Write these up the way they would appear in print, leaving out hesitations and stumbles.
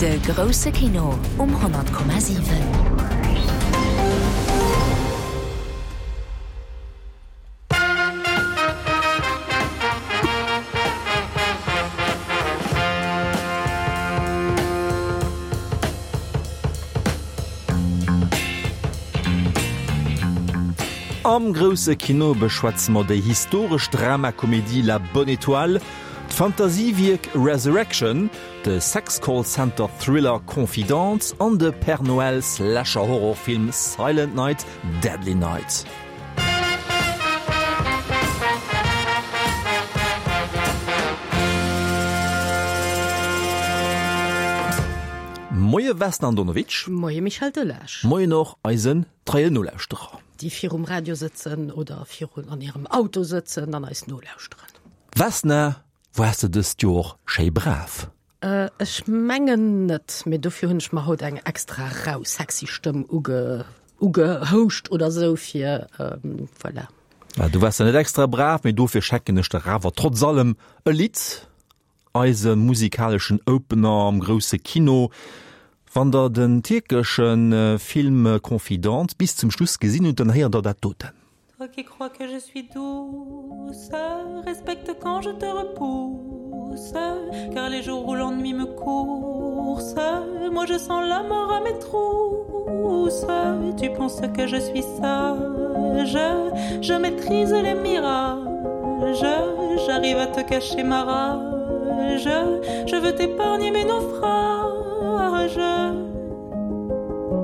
De grousse Kino um 100,7. Am grousse Kino beschwätze mer déi historesch Dramakomedie La Bonne Étoile, d'Fantasiewierk Resurrection, de Sex-Call-Center-Thriller Confidence an de Père Noël-Slasher-Horrorfilm Silent Night, Deadly Night. Moie Vesna Andonovic. Moie Michel Delage. Moien och eisen treien Nolauschterer. Déi virum Radio sëtzen oder virun an hirem Auto sëtzen an eis nolauschteren. Vesna, waars de dëst Joer schéi brav? Ech mengen net, mee dofir hunn ech mer haut eng extra rau sexy Stëmm uge ugehouscht oder sou fir voilà. Ja, du waars ja net extra brav, mee dofir schecken ech der awer trotz allem e Lidd, eise musikaleschen Opener am grousse Kino. Wann der den tierkesche Film Confidente bis zum Schluss gesinn hutt, dann héiert der dat doten. Toi qui crois que je suis douce, respecte quand je te repousse, car les jours où l'ennui me course, moi je sens la mort à mes trousses. Tu penses que je suis sage, je maîtrise les mirages, j'arrive à te cacher ma rage, je veux t'épargner mes naufrages.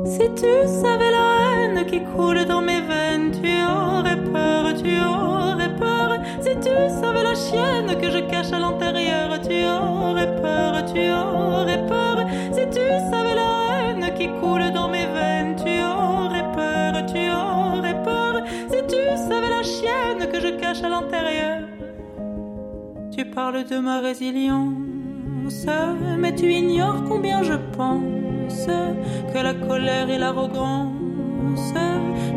Si tu savais la haine qui coule dans mes veines, tu aurais peur, tu aurais peur. Si tu savais la chienne que je cache à l'intérieur, tu aurais peur, tu aurais peur. Si tu savais la haine qui coule dans mes veines, tu aurais peur, tu aurais peur. Si tu savais la chienne que je cache à l'intérieur. Tu parles de ma résilience, mais tu ignores combien je pense que la colère et l'arrogance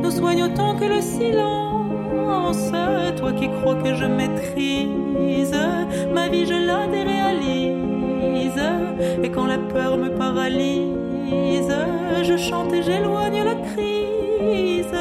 nous soignent autant que le silence. Toi qui crois que je maîtrise ma vie, je la déréalise. Et quand la peur me paralyse, je chante et j'éloigne la crise.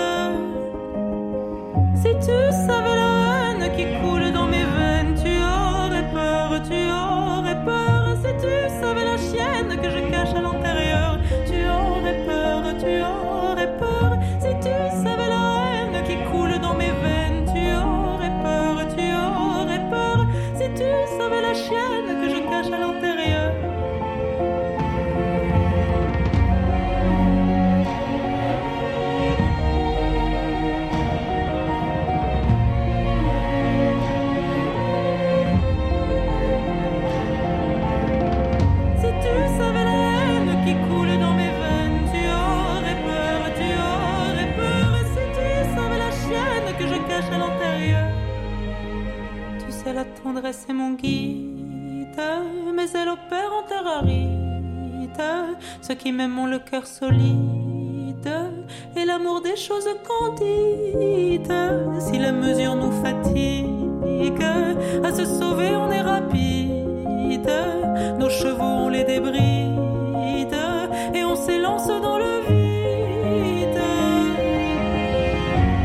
Si tu savais la haine qui coule dans mes veines, tu aurais peur, tu aurais peur. Si tu savais la chienne que je cache à l'intérieur, tu aurais peur, tu aurais peur. Si tu savais la haine qui coule dans mes veines, tu aurais peur, tu aurais peur. Si tu savais la chienne que je cache à l'intérieur. Si tu savais la haine qui coule dans mes veines, tu aurais peur, tu aurais peur. Si tu savais la chienne que je cache à l'intérieur. Tu sais, la tendresse est mon guide, mais elle opère en terre aride. Ceux qui m'aiment ont le cœur solide et l'amour des choses candides. Si la mesure nous fatigue, à se sauver on est rapide. Nos chevaux on les débride et on s'élance dans le vide.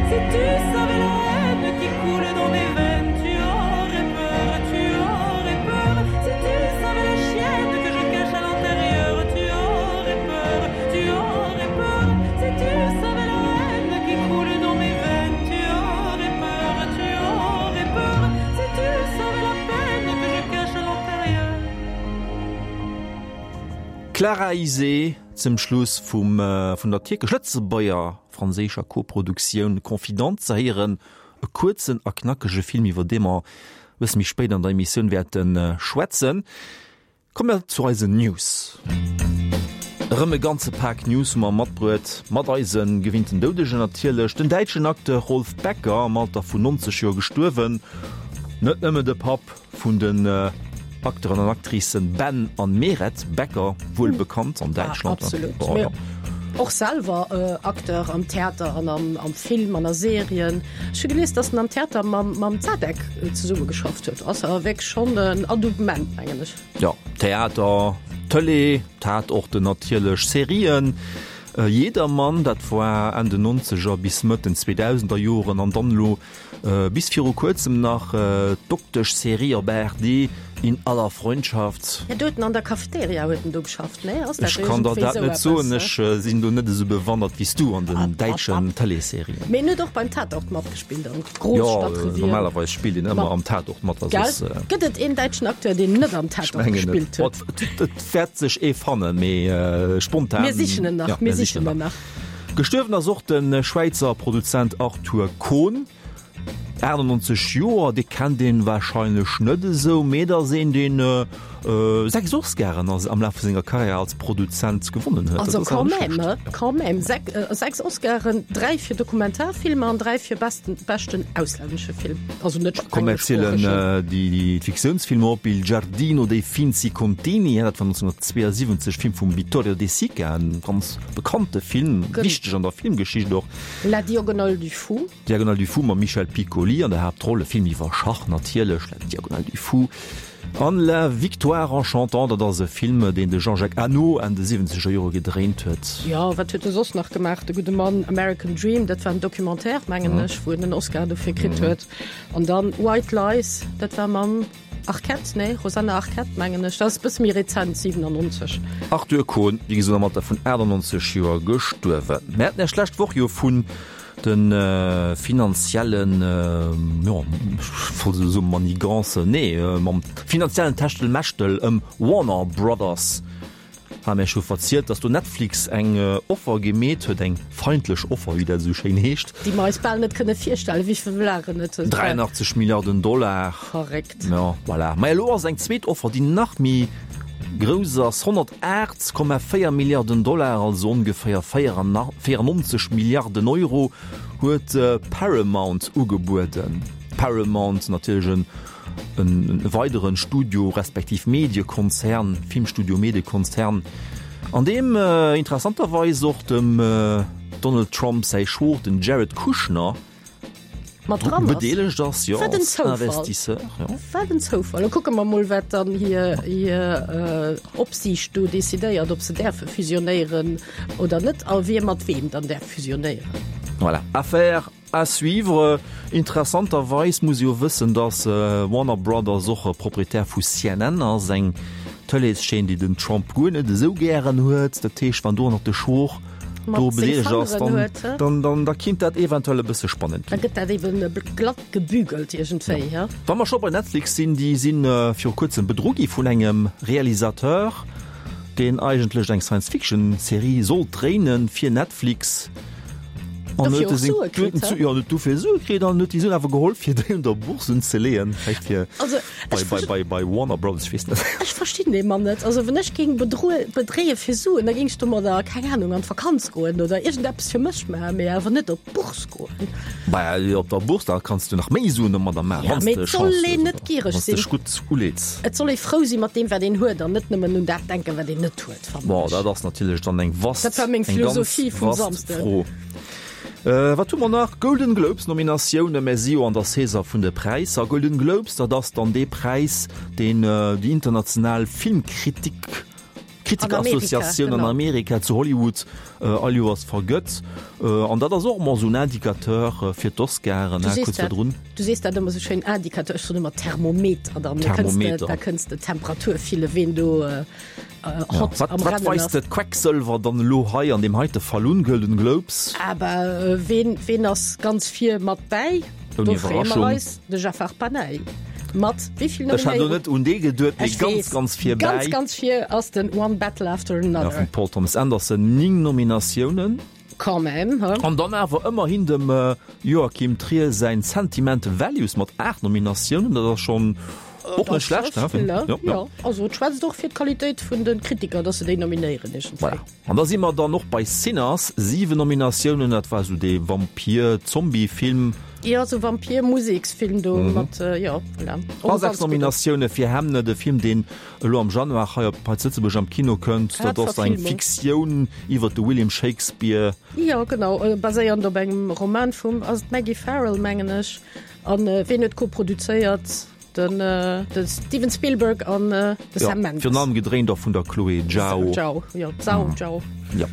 Si tu savais la haine qui coule dans mes veines, tu aurais peur, tu aurais peur. Si tu savais la chienne que je cache à l'intérieur, tu aurais peur, tu aurais peur. Si tu savais la haine qui coule dans mes veines, tu aurais peur, tu aurais peur. Si tu savais la peine que je cache à l'intérieur. Clara Isé zum Schluss vum vun der tierkesch-lëtzebuerger-franséischer Koproduktioun Confidente ze héieren. E kuerzen a knackege Film, iwwer dee mer e bësse méi spéit an der Emissioun wäerte schwätzen. Komme mer zu eisen News. Erëm e ganze Pak News hu mer matbruet, mat eise gewinnten Doudegen natierlech. Den däitschen Acteur Rolf Becker, am Alter vun 90 Joer gestuerwen. Net nëmme de Papp vun den Acteuren an Actricen Ben an Meret Becker, wuel bekannt an Däitschland. Absolut. Mee och selwer Acteur am Theater an am Film an a Serien. Ech hu gelies, datt en am Theater mam mam Zadek zesumme geschafft huet. Ass awer wierklech schonn en Adoubement, mengen ech. Jo, Theater. Tëlee, Tatorten natierlech, Serien, Jedermann, dat war Enn den Nonzeger bis Mëtt den Zweedausender Joren an dann elo Bis viru kuerzem nach d'Doktesch-Serie op ARD In aller Freundschaft. Jo, do huet en an der Cafeteria huet en do geschafft, nee? Ass dat Ech kann der iergendwéi dat esou net eppes? soen, ech sinn do net esou bewandert wéi s du an den däitschen Tëleesserien. Mee en huet och beim Tatort matgespillt am Jo, Großstadtrevier. normalerweis spillt een ëmmer Mat am Tatort mat, wa Gell? soss. Gëtt et een däitschen Acteur, deen net am Ech Tatort mengen net. gespillt huet? Bon, et et wäert sech ee fannen, mee spontan. Mir sichen en nach, Ja, mir mir sichen sichen en en nach. nach. Gestuerwen ass och de Schwäizer Produzent Arthur Kohn, 98 Joer. Dee kennt een warscheinlech net esou, mee et ass een, deen 6 Oscaren am Laf vu senger Karriär als Produzent gewonnen huet. Also quand même, quand même, 6 Oscaren, 3 fir Dokumentarfilmer an 3 fir beschten auslännesche Film, also net Komm mir zielen déi Fiktiounsfilmer op, Il giardino dei finzi contini, dat war 1972, Film vum Vittorio De Sica, en ganz Bekannte Film, wichteg an der Filmgeschicht och. La Diagonale du Fou. Diagonale du Fou mam Michel Piccoli an der Haaptroll, e Film iwwer Schach natierlech, La Diagonale du Fou. An La Victoire en chantant, dat ass e Film, deen de Jean-Jacques Annaud Enn de siwwenzeger Jore gedréint huet. Jo, wat huet e soss nach gemaach, de gudde Mann? American Dream, dat war en Documentaire, mengen ech, wou en en Oscar dofir kritt huet. An dann White Lies, dat war mam. Arquette, nee, Rosanna Arquette mengen ech, dat ass e bësse méi rezent, 97. Arthur Kohn, wéi gesot am Alter vun 98 Joer gestuerwen. Mir haten Iech d'lescht Woch jo vun de finanziellen, jo, ech wollt elo soen Manigancen, nee, mam finanziellen Techtelmechtel ëm Warner Brothers Hat mir scho verzielt, dass do Netflix eng Offer gemeet huet, eng feindlech Offer, wéi dat esou schéin heescht. Déi mer eis bal net kënne virstellen. Wéi vill waren et? 83 Milliarden Dollar. Verréckt. Jo, voilà. Mä elo ass eng zweet Offer, déi nach méi grouss ass, 108,4 Milliarden Dollar, also ongeféier 94 Milliarden Euro, huet Paramount ugebueden. Paramount natierlech en E weideren Studio respektiv Mediekonzern, Filmstudio Mediekonzern, an deem interessanterweis och dem Donald Trump säi Schwoer, den Jared Kushner, mat dran ass. Bedeelegt ass, jo, Wat en als Zoufall. Investisseur, jo. Wat en Zoufall. Lo kucke mer mol, wat dann hir, hir Opsiicht do decidéiert, ob se däerfe fusionéieren oder net a wie mat weem dann däerf fusionéieren. Voilà, Affaire À suivre. Interessanterweis muss ee jo wëssen, datt Warner Brothers och Proprietär vu CNN ass, eng Tëleeschaîne, déi den Trump guer net esou gären huet. Dat heescht, wann do och nach de Schwoch do bedeelegt ass, dann, dann, da kinnt dat eventuell e bësse spannend ginn. Da gëtt dat eben glatt gebügelt iergendwéi, he? Wa mer scho bei Netflix sinn, déi si viru kuerzem bedru gi vun engem Realisateur, deen eigentlech eng Science-Fiction-Serie sollt dréinen fir Netflix. An Dofir huet och seng Sue kritt, huet hä? jo, huet dofir Sue kritt an huet déi Suen awer geholl fir déi un der Bourse unzeleeën, vläicht fir Also, bei, ech bei, verst- bei, bei Warner Brothers, ech weess net. Ech verstinn dee Mann net. Also wann ech géing bedroe bedréie fir Suen, da géing ech domadder, keng Ahnung, an d'Vakanz goen oder iergendeppes fir mech maachen, mee awer net op d'Bourse goen. Bah, op der Bourse, da kanns du nach méi Suen domadder maachen, Ja, wann s mee de et soll Chance een hues net oder giereg wann s sinn. dech gutt uleets. Et soll ee frou si mat deem, wat een huet an net nëmmen un dat denken, wat een net huet. fannen Bon, ech. dat ass natierlech dann eng vast, Dat war meng eng ganz Philosophie vum vast Samsden. Fro. Äh, wat hu mer nach? Golden Globes Nominatiounen, mer si jo an der Saison vun de Präisser. Golden Globes, dat ass dann dee Präis, deen déi international Filmkritik, Kritikerassociatioun an genau. Amerika zu Hollywood all Joers vergëtt. An dat ass och ëmmer esou en Indicateur fir d'Oscaren, Du he, sees kuerz dat, virdrun. du sees dat ëmmer esou schéin, Indicateur, ech soen ëmmer Thermometer, dann kënns de, Thermometer. da kënns de d'Temperatur fillen, ween do hot Wat, am wat Rennen weist ass. de Quecksëlwer dann elo hei an deem heite Fall un, Golden Globes? Aber ween, ween ass ganz vir mat bäi? Ouni Do freeë mer Iwwerraschung. eis, de Jafar Panahi. Mat wéi vill Ech hat elo Nominéierungen? net un dee geduet, mee Ech ganz, weess, ganz vir ganz, bäi. ganz vir ass den One Battle After Ja, Another. vum Paul Thomas Anderson, 9 Nominatiounen. Quand même, he? An dann awer ëmmerhin dem Joachim Trier säin Sentimental Values mat 8 Nominatiounen, dat ass schonn och net schlecht, he? Ja, Ja, ja. also et schwätzt och fir d'Qualitéit vun de Kritiker, datt se déi nominéieren iergendwéi. Voilà. An da si mer dann och bei Sinners, 7 Nominatiounen, dat war esou dee Vampir-Zombie-Film. Jo, esou Vampir-Museksfilm do mat, jo, voilà. Och A e 6 ganz gudden. Nominatioune fir Hemne, de Film, deen elo am Januar hei op hei zu Lëtzebuerg am Kino kënnt. Grad Dat ass eng Verfilmung. Fiktioun iwwer de William Shakespeare. Jo, genau, baséiernd op engem Roman vum, ass et Maggie Farrell, mengen ech. An ween huet koproduzéiert? Den, de Steven Spielberg an de Sam Mendes. Virun allem gedréint och vun der Chloé Zhao. Zhao, jo, Zhao, Zhao. Jo.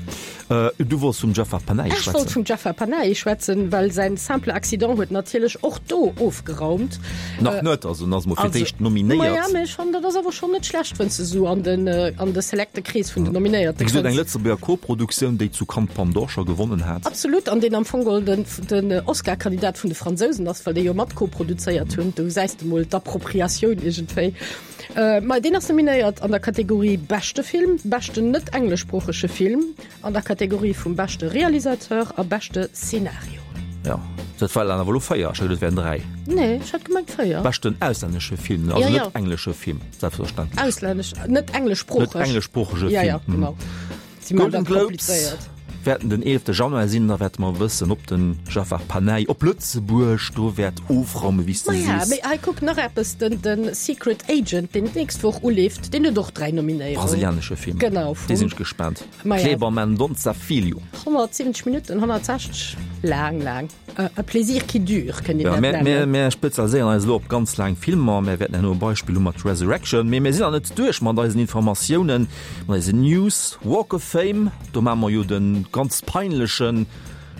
Du wollts vum Jafar Panahi schwätzen. Ech wollt vum Jafar Panahi schwätzen, well säin Simple Accident huet natierlech och do ofgeraumt. Nach net, also en ass mol fir d'éischt nominéiert. Maja, mee ech fannen, dat ass awer schonn net schlecht, wann s de esou an den, an de selekte Krees vun den Nominéierte kënns. Wéi gesot, eng Lëtzebuerger Koproduktioun, déi zu Cannes d'Palme d'Or scho gewonnen hat. Absolut, an deen am Fong geholl den, den Oscar-Kandidat vun de Fransousen ass, well déi jo mat koproduzéiert hunn. Do gesäis de mol d'Appropriatioun iergendwéi. Ma deen ass nominéiert an der Kategorie beschte Film, beschten net-engleschsproochege Film, an der Kategorie vum beschte Realisateur a beschte Szenario. Jo, dat war dann awer elo 4, ech hat geduet et wären 3. Nee, ech hat gemengt 4. Beschten auslännesche Film, also net englesche Film, selbstverständlech. Auslännesch, net engleschsproocheg. Net engleschsproochege Film. Ja, ja, genau. Golden Globes wäerten den 11 Januar sinn, da wäerte mer wëssen, ob den Jafar Panahi op Lëtzebuerg do wäert ofraumen, wéi s de sees. Mee hei kuck, nach eppes, den den Secret Agent, deen d'nächst Woch uleeft, deen huet och 3 Nominéierungen. Brasilianesche Film. Genau, vum. Dee sinn ech gespaant. Kleber Mendonça Filho. 170 Minutten, 160, laang, laang. E plaisir qui dure, kënnt een dat nennen. Mär spezialiséieren eis elo op ganz laang Filmer. Mär wäerten herno e Beispill hu mat Resurrection. Mee mir sinn nach net duerch mat eisen Informatiounen, mat eisen News. Walk of Fame, do maache mer jo de ganz peinlechen,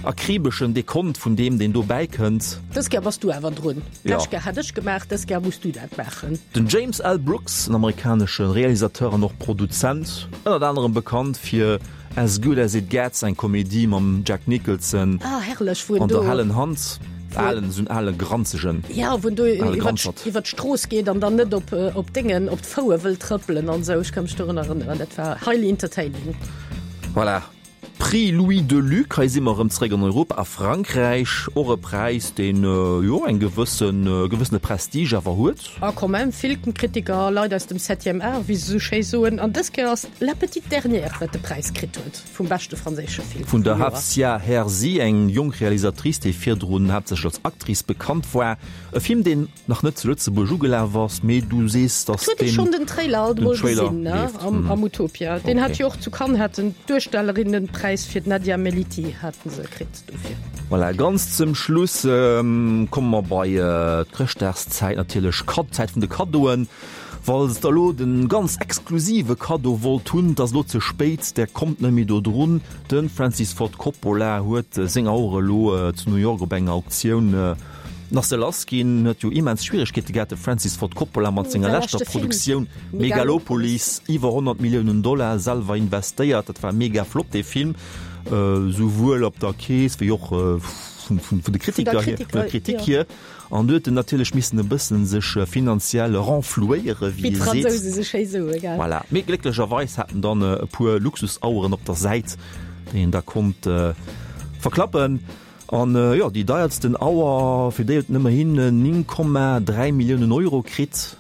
akribeschen Dekont vun deem, deen do bäikënnt. Dës Kéier bass du awer drun. D'lescht Kéier hat ech gemaach, dës Kéier muss du dat maachen. Den James L. Brooks, en amerikanesche Realisateur an och Produzent, ënnert anerem bekannt fir As Good As It Gets, eng Komedie mam Jack Nicholson ah, herrlech, wou en an der do hellen Hand, alen, esou en ale granzegen, ja, wou en do ale iwwer Granzert. iwwer d'Strooss geet an dann net op op Déngen, op d'Foue wëll trëppelen an esou. Ech ka mech dorun erënneren, dat war highly entertaining. Voilà. Prix Louis Delluc, hei si mer erëm zeréck an Europa, a Frankräich, och e Präis, deen, jo, eng gewëssen, e gewëssene Prestige awer huet. A quand même vill Kritiker a Leit aus dem Septième Art, wéi se esou schéi soen. An dës Kéier ass La Petite Dernière, wat de Präis kritt huet vum beschte franséische Film Vun vum der Joer. Hafsia Herzi, eng jonk Realisatrice, déi virdrun haaptsächlech als Actrice bekannt war. E Film, deen nach net zu Lëtzebuerg ugelaf ass, mee du sees, Et datt huet ee deen schonn den Trailer alt den emol Trailer gesinn, ne, leeft. am am Utopia. Deen hat Okay. jo och zu Cannes hat en d'Duerstellerinnenpräis fir d'Nadia Melliti haten se kritt. Dofir. Voilà, ganz zum Schluss komme mer bei d'Chrëschtdagszäit natierlech, d'Zäit vun de Kaddoen. Falls der elo de ganz exklusive Kaddo wollt hunn, 't ass elo ze spéit, der kommt net méi do drun. De Francis Ford Coppola huet seng Auer elo zu New York op enger Auktioun nach se lass ginn. Huet jo immens Schwieregkeete gehat, de Francis Ford Coppola mat senger leschter Produktioun Megalopolis, iwwer 100 Milliounen Dollar selwer investéiert. Dat war mega flott dee Film. Souwuel op der Kees wéi och vun de Kritiker hier, vun der Kritik hier. An du huet en natierlech missen e bëssen sech finanziell renflouéieren, wéi ee seet. Voilà. Mee glécklecherweis hat en dann e puer Luxusaueren op der Säit, déi en da konnt verklappen. An jo, déi deiertsten Auer, fir déi huet en ëmmerhin 9,3 Milliounen Euro kritt,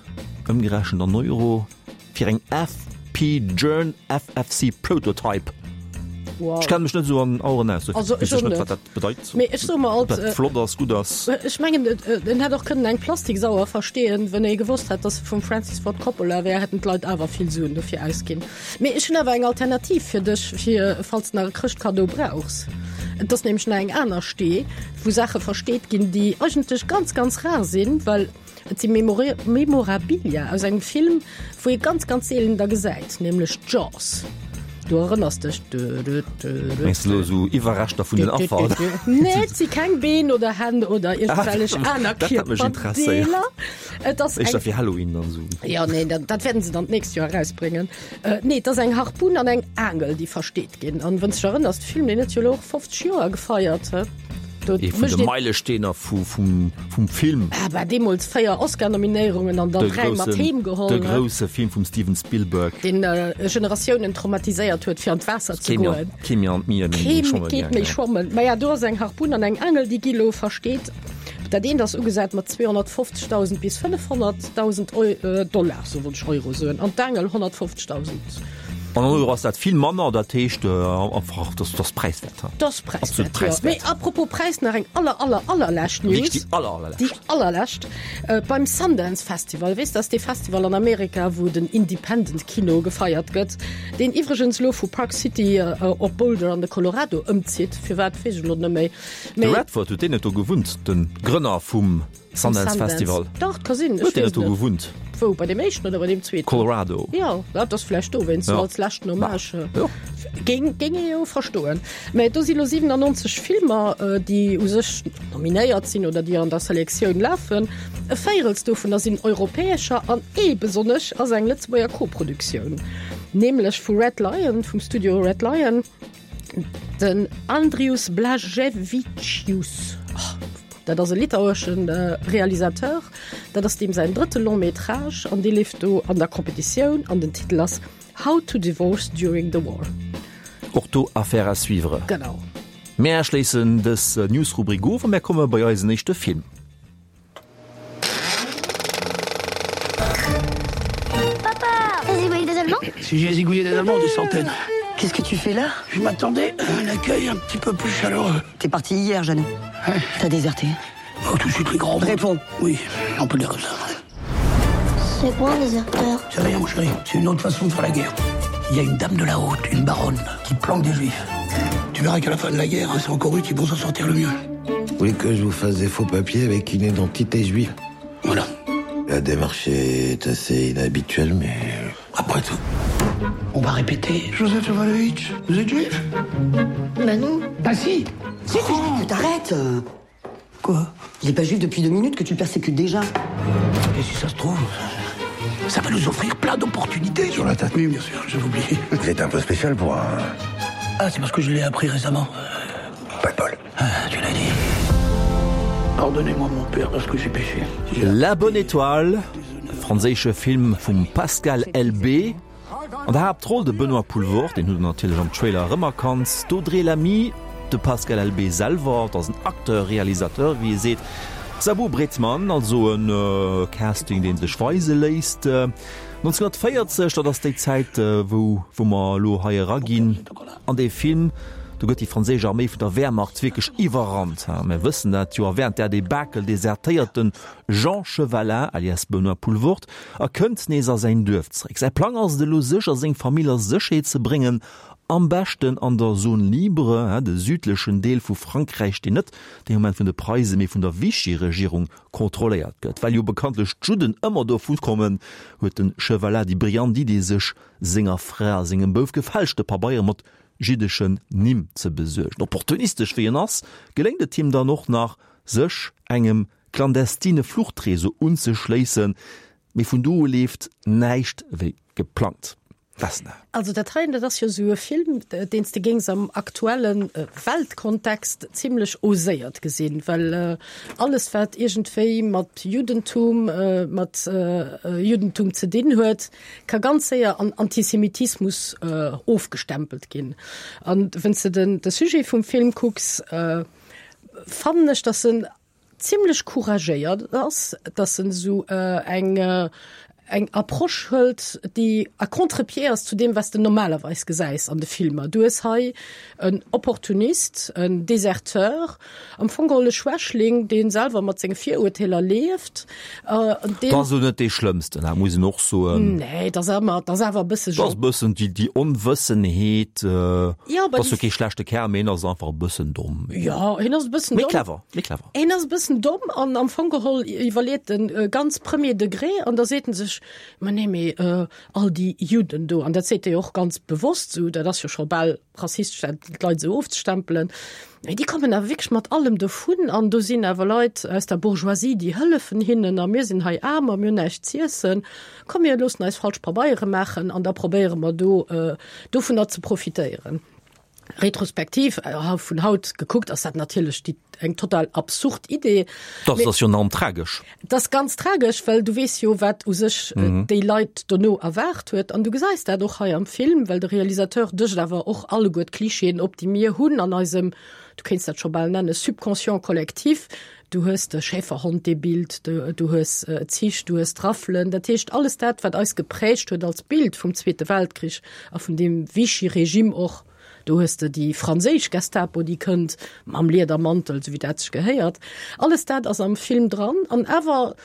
ëmgerechent an Euro. Fir eng FP Journe FFC Prototype. Wow. Ech kenne mech net esou an Aueren aus, dofir Also, weess ech ech och net, net. wat dat bedeit. Mee ech soe mer Ob alt, dat äh, flott ass, gutt ass. Ech mengen, et, et, en hätt och kënnen eng Plastiksauer versteeën, wenn ee gewosst hätt, dass se vum Francis Ford Coppola wär, hätten d'Leit awer vill Suen dofir ausginn. Mee ech hunn awer eng Alternativ fir dech, fir falls de nach e Chrëschtkaddo brauchs. Et ass nämlech nach eng aner Stee, wou Saache versteet ginn, déi eigentlech ganz, ganz rar sinn, well Et si Memorabilia aus engem Film, wou ee ganz, ganz seelen der gesäit, nämlech Jaws. Du erënners dech? Mengs de elo esou Iwwerreschter vun den Affer, oder? Nee, et si keng Been oder Hänn oder iergendwellech aner Dat hätt mech interesséiert. Kierperdeeler. Et ass Éischter eng. fir Halloween dann esou. Jo, nee, dat, dat wäerten se dann d'nächst Joer erausbréngen. Nee, et ass eng Harpun an eng Aangel, déi versteet ginn. An wann s de dech erënners, de Film, deen huet jo elo och 50 Joer gefeiert, he? Do Ee vun de Meilesteener vum Film. Ah bah, deemools 4 Oscar-Nominéierungen an dann 3 mat heem geholl. De grousse Film vum Steven Spielberg. Deen Generatiounen traumatiséiert huet, fir an d'Waasser ze goen. Kee méi an d'Mier méi schwamme Kee geet méi schwammen. Maja, do ass eng Harpun an eng Aangel, déi gi lo versteet. Dat eent ass ugesat mat 250.000 bis 500.000 Dollar, sou wollt ech Euro soen, an d'Aangel 150.000. An an Euro ass dat vill manner, dat heescht einfach, dat ass präiswäert. Dat ass präiswäert, jo. Mee apropos Präis, nach eng aller, aller, allerlescht News. Wierklech déi aller, allerlescht. Déi allerlescht. Beim Sundance Festival, weess, dat ass dee Festival an Amerika, wou den Independent Kino gefeiert gëtt, deen iwwregens elo vu Park City op Boulder an de Colorado ëmzitt, firwat weess ech elo net méi. De Redford, huet deen net do gewunnt, de Grënner vum. Sundance Festival. Dach, et ka sinn. Huet deen net do gewunnt? Wou, bei deem éischten oder bei deem zweeten? Colorado. Jo, dat ass vläicht dowéinst, sou als leschten Hommage. Jo. Géing, géing ee jo verstoen. Mä do si lo 97 Filmer, déi u sech nominéiert sinn oder déi an der Selektioun lafen. E Véirels dovunner sinn europäescher an ee besonnesch ass eng Lëtzebuerger Koproduktioun, nämlech vu Red Lion, vum Studio Red Lion. Den Andrius Blaževičius, dat ass e litauesche Realisateur, dat ass deem säin drëtte Long métrage an dee leeft do an der Competitioun an den Titel ass How to divorce during the war. Och do Affaire à suivre. Genau. Mär schléissen dës News-Rubrik of a mär komme bei eisen éischte Film. Papa T'as zigouillé des Allemands Si j'ai zigouillé des Allemands, des centaines. Qu'est-ce que tu fais là Je m'attendais à un accueil un petit peu plus chaleureux. T'es parti hier, Jeannot. Ouais. T'as déserté. Oh, tout de suite les grands. Réponds. Oui, on peut le dire comme ça. C'est quoi un déserteur C'est rien, mon chéri. C'est une autre façon de faire la guerre. Il y a une dame de la haute, une baronne, qui planque des juifs. Tu verras qu'à la fin de la guerre, c'est encore eux qui vont s'en sortir le mieux. Vous voulez que je vous fasse des faux papiers avec une identité juive Voilà. La démarche est assez inhabituelle, mais... Après tout, on va répéter. Joseph Jovanovitch, vous êtes juif Bah non. Bah si Si, oh tu t'arrêtes Quoi Il est pas juif depuis deux minutes que tu le persécutes déjà. Et si ça se trouve, ça va nous offrir plein d'opportunités. Sur la tête Oui, bien sûr, j'avais oublié. Vous êtes un peu spécial pour un... Ah, c'est parce que je l'ai appris récemment. Pas de bol. Ah, tu l'as dit. Pardonnez-moi mon père parce que j'ai péché. La bonne étoile, franséische Film vum Pascal Elbé. An der Haaptroll de Benoît Poelvoorde, deen hutt der natierlech am Trailer erëmerkannt, d'Audrey Lamy, de Pascal Elbé selwer, dat ass en Acteur-Réalisateur, wéi ee seet, Zabou Breitman, also e Casting, dee sech weise léisst. 1940, dat ass déi Zäit, wou wou mer elo hei eraginn an dee Film, do gëtt déi franséisch Arméi vun der Wehrmacht wierklech iwwerrannt, mir wëssen dat jo, a wärend där Debakel desertéiert de Jean Chevalin, alias Benoît Poelvoorde, a kënnt nees a säin Duerf zeréck. Säi Plang ass et elo, sech a seng Famill a Sécherheet ze bréngen, am beschten an der Zone libre, de südlechen Deel vu Frankräich, deen net dee Moment vun de Preise mee vun der Vichy-Regierung kontrolléiert gëtt. Well jo bekanntlech d'Judden ëmmer dovu kommen, huet de Chevalat déi brillant Idee, sech senger Fra a sengem Bouf gefälschte Pabeiere mat jiddeschen Nimm ze besuergen. Opportunistesch wéi en ass, geléngt et him dann och nach, sech engem clandestine Fluchtreseau unzeschléissen, mee vun do u leeft näischt wéi geplangt. Vesna. Also dat heien, dat ass jo esou e Film, deen s de géings am aktuelle Weltkontext zimlech oséiert gesinn, well alles wat iergendwéi mat Juddentum, mat Juddentum ze dinn huet, ka ganz séier an Antisemitismus ofgestempelt ginn. An wann s de den de Sujet vum Film kucks, fannen ech, datt en zimlech couragéiert ass, dass en esou eng eng Approche hëlt, déi à contre-pied ass zu deem, wat s de normalerweis gesäis an de Filmer. Du hues hei en Opportunist, en Deserteur, am Fong geholl e Schwächling, dee selwer mat senge Virurteeler lieft. Deen. Dat ass elo net dee Schlëmmsten, dat muss een och soen. Nee, dat ass awer, dat ass awer e bësse. Dat ass e bëssen déi, déi Onwëssenheet. Jo, ass jo kee schlechte Kerl, mee en ass einfach e bëssen domm. Jo, hien ass e bëssen domm. Mee clever. Méi clever. Hien ass e bëssen domm an am Fong geholl iwwerleet en ganz premier degré an da seet en sech, ma nee, mee all déi Judden do, an dat seet e jo och ganz bewosst esou, dat ass jo scho bal rassistesch, dat d'Leit esou ofzestempelen, mee déi kommen awer wierklech mat allem dovun an do sinn awer Leit aus der Bourgeoisie, déi hëllefen hinnen a mir sinn hei aarm a mir hunn näischt z'iessen, komm mir loossen eis falsch Pabeiere maachen an da probéiere mer do dovunner ze profitéieren. Retrospektiv vun haut gekuckt ass dat natierlech déi eng total absurd Idee. Dat ass jo enorm tragesch. Dat ass ganz tragesch, well du weess jo, wat u sech déi Leit dono erwaart huet. An du gesäis dat och hei am Film, well de Realisateur dëscht awer och alleguer d'Klischeeën op, déi mir hunn an eisem, du kéints dat scho bal nenne Subconscient collectif. Du hues de Schäferhond-Bild, du hues Zich, du hues d'Raffelen. Dat heescht, alles dat, wat eis geprägt huet als Bild vum Zweete Weltkrich a vun deem Vichy-Regime och. Do hues de déi franséisch Gestapo, déi kënnt mam Liedermantel, esou wéi dat sech gehéiert. Alles dat ass am Film dran an awer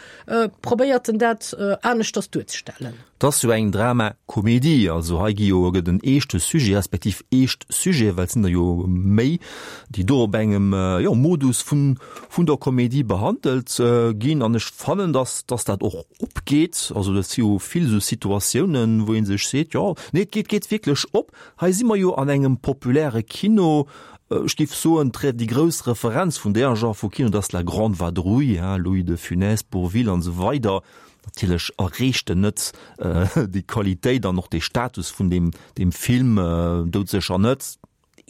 probéiert en dat aneschters duerzestellen. Et ass jo eng Drama-Komedie, also hei gi jo, gëtt en eeschte Sujet, respektiv eescht Sujete, well et sinn der jo méi, déi do op engem, jo, Modus vun, vun der Komedie behandelt ginn. An ech fannen, dass, dass dat och opgeet. Also dat si jo vill esou Situatiounen, wou ee sech seet, jo, nee, et geet, geet wierklech op. Hei si mer jo an engem populäre Kino. Ech géif soen, déi grouss Referenz vun där Genre vu Kino, dat ass La Grande Vadrouille, Louis de Funès, Bourvil an esou weider. Natierlech erreecht en net déi Qualitéit an och dee Status vun deem, deem Film doudsécher net.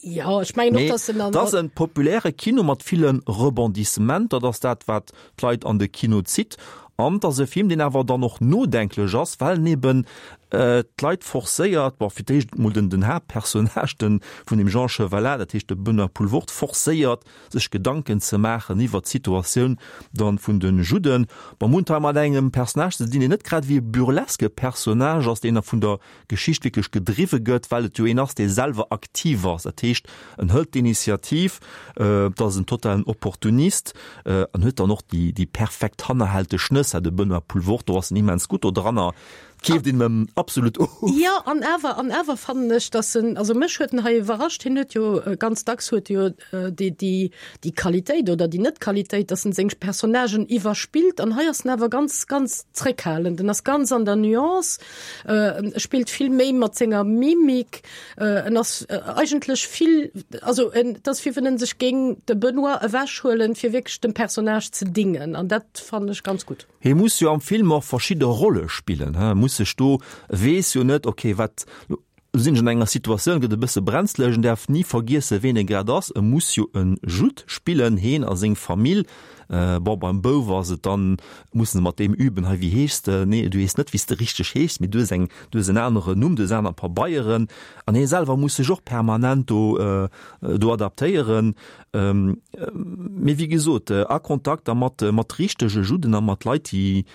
Jo, ech mengen och, dass en an. Et ass e populäre Kino mat ville Rebondissementer, dat ass dat, wat d'Leit an de Kino zitt. An et ass e Film, deen awer dann och nodenklech ass, well en eben d'Leit forcéiert, bon, fir d'éischt emol den, den Haaptpersonnage, den, vun dem Jean Chevalat, dat heescht de Benoît Poelvoorde, forcéiert, sech Gedanken ze maachen iwwert d'Situatioun dann vun de Judden. Bon, mir hunn et hei mat engem Personnage ze dinn, deen net grad ewéi e burleske Personnage ass, deen vun der Geschicht wierklech gedriwwe gëtt, well et jo een ass, dee selwer aktiv ass. Dat heescht, en hëlt d'Initiativ, et ass en totalen Opportunist an huet dann och déi, déi perfekt hannerhälteg Nëss, de Benoît Poelvoorde, do ass en immens gutt dodranner. Keeft een em absolut of. Jo, an awer, an awer fannen ech, dass en, also mech huet en hei iwwerrascht, hien huet jo ganz dacks huet e jo déi, déi, déi Qualitéit oder déi Net-Qualitéit, dass en seng Personnagen iwwerspillt an hei ass en awer ganz, ganz zréckhalend, en ass ganz an der Nuance, e spillt vill méi mat senger Mimik, en ass eigentlech vill, also en, et ass wéi wann en sech géing de Benoît ewechhuelen, fir wierklech dem Personnage ze dingen an dat fannen ech ganz gutt. Hie muss jo am Film och verschidde Rolle spillen, he muss sech do, weess jo net, ok wat, lo sinn ech an enger Situatioun, gëtt e bësse brenzlech, en däerf ni vergiessen, ween e grad ass, e muss jo e Judd spillen, heen a seng Famill. Bon, beim Bouf ass et dann, musse se mat deem üben, hei wéi heeschs de, nee du heeschs net wéi s de richteg heeschs, mee du hues eng, du hues en aneren Numm, du hues aner Pabeieren an hie selwer muss sech och permanent do do adaptéieren. Mee wéi gesot, a Kontakt da mat mat richtege Judden a mat Leit, déi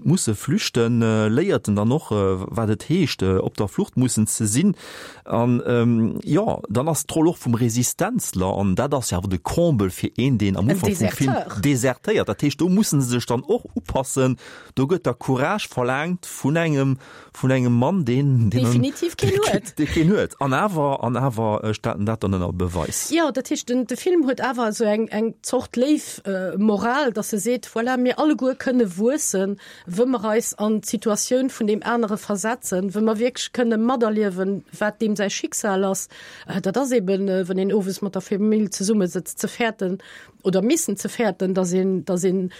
musse flüchten, léiert en dann och, wat et heescht, op der Flucht mussen ze sinn. An jo, dann ass d'Roll och vum Resistenzler, an dat ass jo awer de Comble fir een, deen am Ufank vum Film desertéiert. Dat heescht, do musse se sech dann och upassen, do gëtt da Courage verlaangt vun engem, vun engem Mann, deen, deen definitiv keen huet. Dee keen huet. An awer, an awer stellt en dat dann ënner Beweis. Jo, dat heescht, den, de Film huet awer esou eng, eng Zort léif Moral, dass e seet, voilà, mir alleguer kënne wuessen, wë mer eis an d'Situatioun vun deem anere versetzen, wë mer wierklech kënne materliewen, wat deem säi Schicksal ass. Dat ass eben, wann een owes mat der Famill zesummesëtzt, ze fäerten, oder missen ze fäerten, dass een, dass een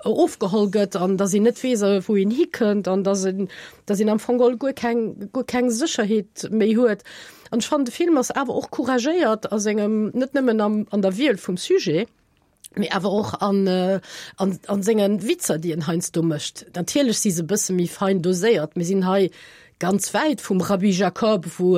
ofgeholl gëtt an dass een net weess, wou een hikënnt an dass een, dass een am Fong geholl guer keng, guer keng Sécherheet méi huet. An ech fannen, de Film ass awer och couragéiert a sengem, net nëmmen am, an der Wiel vum Sujet, mee awer och an, an, an senge Witzer, déi en heiansdo mécht. Natierlech si se e bësse méi fein doséiert. Mir sinn hei ganz wäit vum Rabbi Jacob, wou,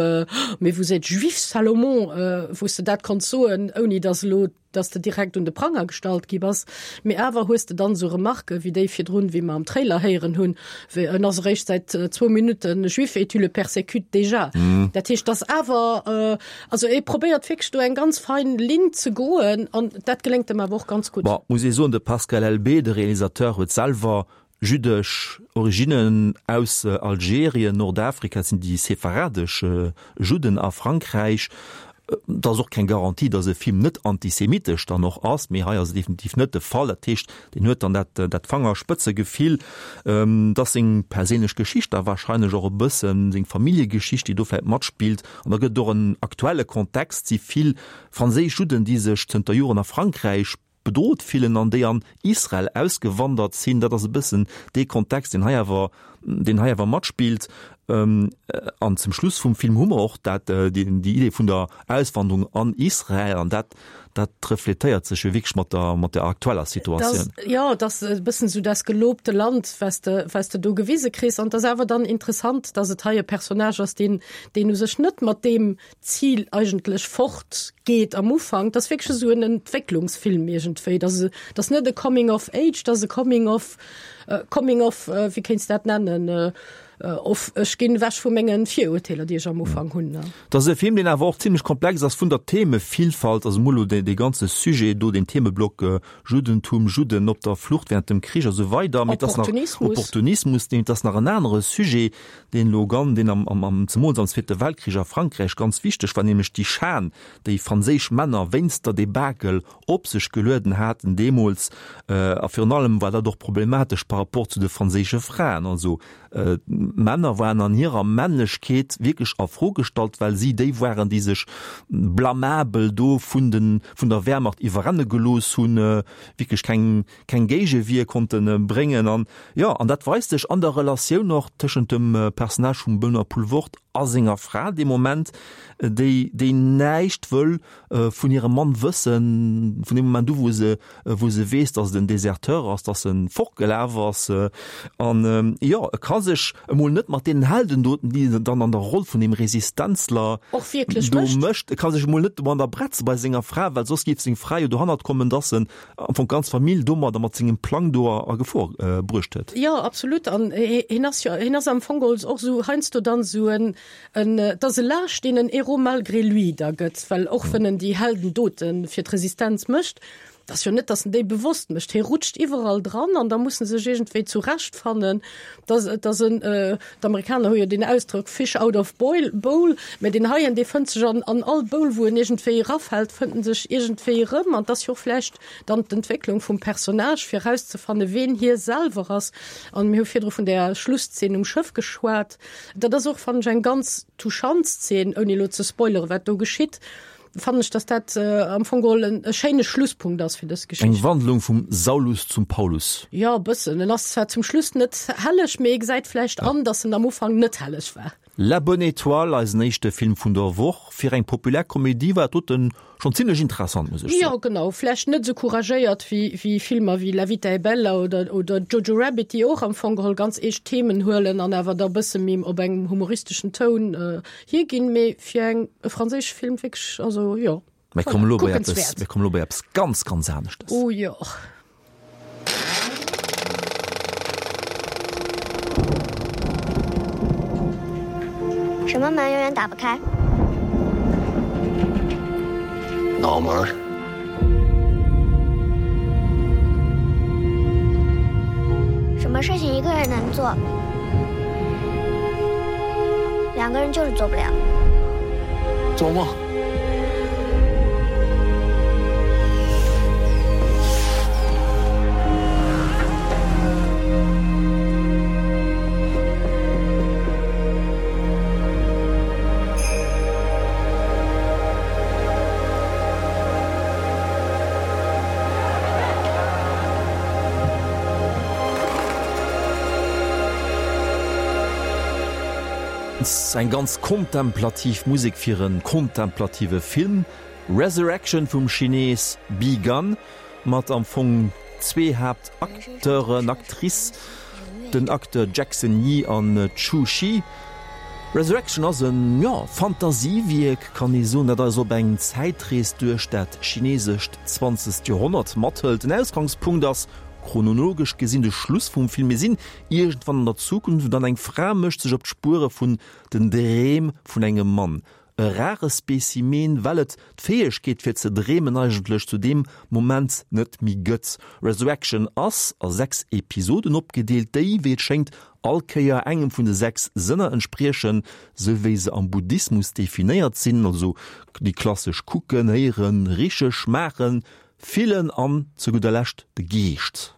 mais vous êtes juif, Salomon, wou s de dat konns soen, ouni dass elo, dass de direkt un de Pranger gestallt gi bass. Mee awer hues de dann esou Remarquen, wéi déi virdrun, wéi mer am Trailer héieren hunn, wéi, En ass eréischt säit zwou Minutten juif et tu le persécutes déjà. Dat heescht, dass awer, also e probéiert wierklech do eng ganz fein Linn ze goen an dat geléngt em awer och ganz gutt. Bon, muss ee soen, de Pascal Elbé, de Realisateur, huet selwer Jüddesch Originnen aus Algerien, Nordafrika, dat sinn déi sepharadesch Judden a Frankräich. Et ass och keng Garantie, datt e Film net antisemitesch dann och ass, mee hei ass et definitiv net de Fall. Dat heescht, deen huet dann dat dat Fangerspëtzegefill, datt seng perséinlech Geschicht da warscheinlech och e bëssen, seng Familljegeschicht, déi do vläicht matspillt. An da gëtt et och en aktuelle Kontext, si vill franséisch Judden, déi sech zënter Joren a Frankräich bedrot fillen an déi an Israel ausgewandert sinn. Dat ass e bëssen dee Kontext, deen hei awer, deen hei awer matspillt. An zum Schluss vum Film hu mer och dat, déi Idee vun der Auswanderung an Israel an dat, dat refletéiert sech jo wierklech mat der, mat der aktueller Situatioun. Dat, jo, et ass e bëssen esou das gelobte Land, wat s de, wat s de do gewise kriss. An et ass awer dann interessant, dass et hei e Personnage ass, deen, deen u sech net mat deem Zil eigentlech fort geet am Ufank. Dat ass wierklech esou en Entwécklungsfilm iergendwéi. Dat ass, dat ass net e Coming of Age, dat ass e Coming of, Coming of, wéi kéints de dat nennen? Of, ech ginn ewech vu mengen Virurteeler, déi ech am Ufank hunn. Et ass e Film, deen awer och zimlech komplex ass vun der Themevillfalt, also mol elo dee ganze Sujet do, deen Themeblock Juddentum, Judden op der Flucht während dem Krich a sou weider, mee et ass nach Opportunismus. Opportunismus, mee et ass nach en anere Sujet, deen elo gan, deen am, am, am, zemools am Zweete Weltkrich a Frankräich ganz wichteg war, nämlech déi Schan, déi franséisch Männer wéinst der Debakel op sech gelueden haten deemools. A virun allem war dat och problematesch par rapport zu de franséische Fraen. Also d'Männer waren an hirer Männlechkeet wierklech a Fro gestallt, well si déi waren, déi sech blamabel do vun de vun der Wehrmacht iwwerrenne gelooss hunn, wierklech keng keng Géigewier konnte bréngen. An jo, an dat weist sech an der Relatioun och tëschent dem Personnage vum Benoît Poelvoorde a senger Fra dee Moment, déi déi näischt wëll vun hirem Mann wëssen, vun deem Moment u wou se wou se weess, datt et en Deserteur ass, datt en fortgelaf ass. An jo, e ka sech emol net mat deenen Heldendoten, déi en dann an der Roll vun deem Resistenzler Och wierklech do mécht. mécht, e ka sech emol net domadder bretze bei senger Fra, well soss géif seng Fra jo dohannert kommen, datt en am Fong d'ganz Famill domadder mat sengem Plang do a Gefor bruecht huet. Jo, absolut. An hien ass jo, hien ass am Fong geholl och esou heiansdo dann esou en, En, et ass e Lâche, deen en Héros malgré lui da gëtt, well och wenn en déi Heldendote fir d'Resistenz mécht, et ass jo net, datt en déi bewosst mécht, hie rutscht iwwerall dran an da muss en sech iergendwéi zurechtfannen. Et ass, et ass en, d'Amerikaner hu jo deen Ausdrock fish out of boil, bowl, mä deen heien, dee fënnt sech an, an all Bowl, wou en iergendwéi erafält, fënnt en sech iergendwéi erëm. An et ass jo och vläicht dann d'Entwécklung vum Personnage, fir erauszefanne ween hie selwer ass. An mir hu virdru vun där Schlusszeen um Schëff geschwat. Dat ass och, fannen ech, eng ganz touchant Szene, ouni elo ze spoileren, wat do geschitt, fannen ech, dass dat am Fong geholl en e schéine Schlusspunkt ass fir dës Eng Geschicht. Wandlung vum Saulus zum Paulus. Jo, e bëssen. En ass zwar zum Schluss net helleg, mee ee gesäit vläicht an, dass en am Ufank net helleg war. La Bonne Étoile, eisen éischte Film vun der Woch. Fir eng populär Komedie war doten Schon zimlech interessant, muss ech soen. Jo, genau. Vläicht net esou couragéiert wéi, wéi Filmer wéi La vita è bella oder, oder Jojo Rabbit, déi och am Fong geholl ganz eescht Themen huelen an awer da e bësse méi op engem humoristeschen Toun hierginn. Mee fir eng, e franséische Film wierklech, also jo, Mir kommen voilà, elo bei eppes, kuckenswäert. mir kommen elo bei eppes ganz, ganz aneschtes. Oh jo. 什么门永远打不开？ 脑门。 什么事情一个人能做， 两个人就是做不了。 做梦。 Eng ganz kontemplativ Musek fir e kontemplative Film, Resurrection vum Chinees Bi Gan, mat am Fong zwee Haaptacteuren, Actrice, den Acteur Jackson Yee an Chu Chi. Resurrection ass en, jo, Fantasiewierk, kann ee soen, dat eis op eng Zäitrees duerch dat chinesescht zwanzegt Joerhonnert mathëlt. Den Ausgangspunkt ass chronologesch gesinn de Schluss vum Film. Mir sinn Iergendwann an der Zukunft, an eng Fra mécht sech op d'Spuere vun den Dreem vun engem Mann. E rare Specimen, well et d'Fäegkeet fir ze dreemen eigentlech zu deem Moment net méi gëtt. Resurrection ass a 6 Episoden opgedeelt, déi, wéi et schéngt, all Kéier engem vun de 6 Sënner entspriechen, sou wéi se am Buddhismus definéiert sinn, also déi klassesch kucken, héieren, riche, schmaachen, fillen an zu gudder Lescht de Geescht.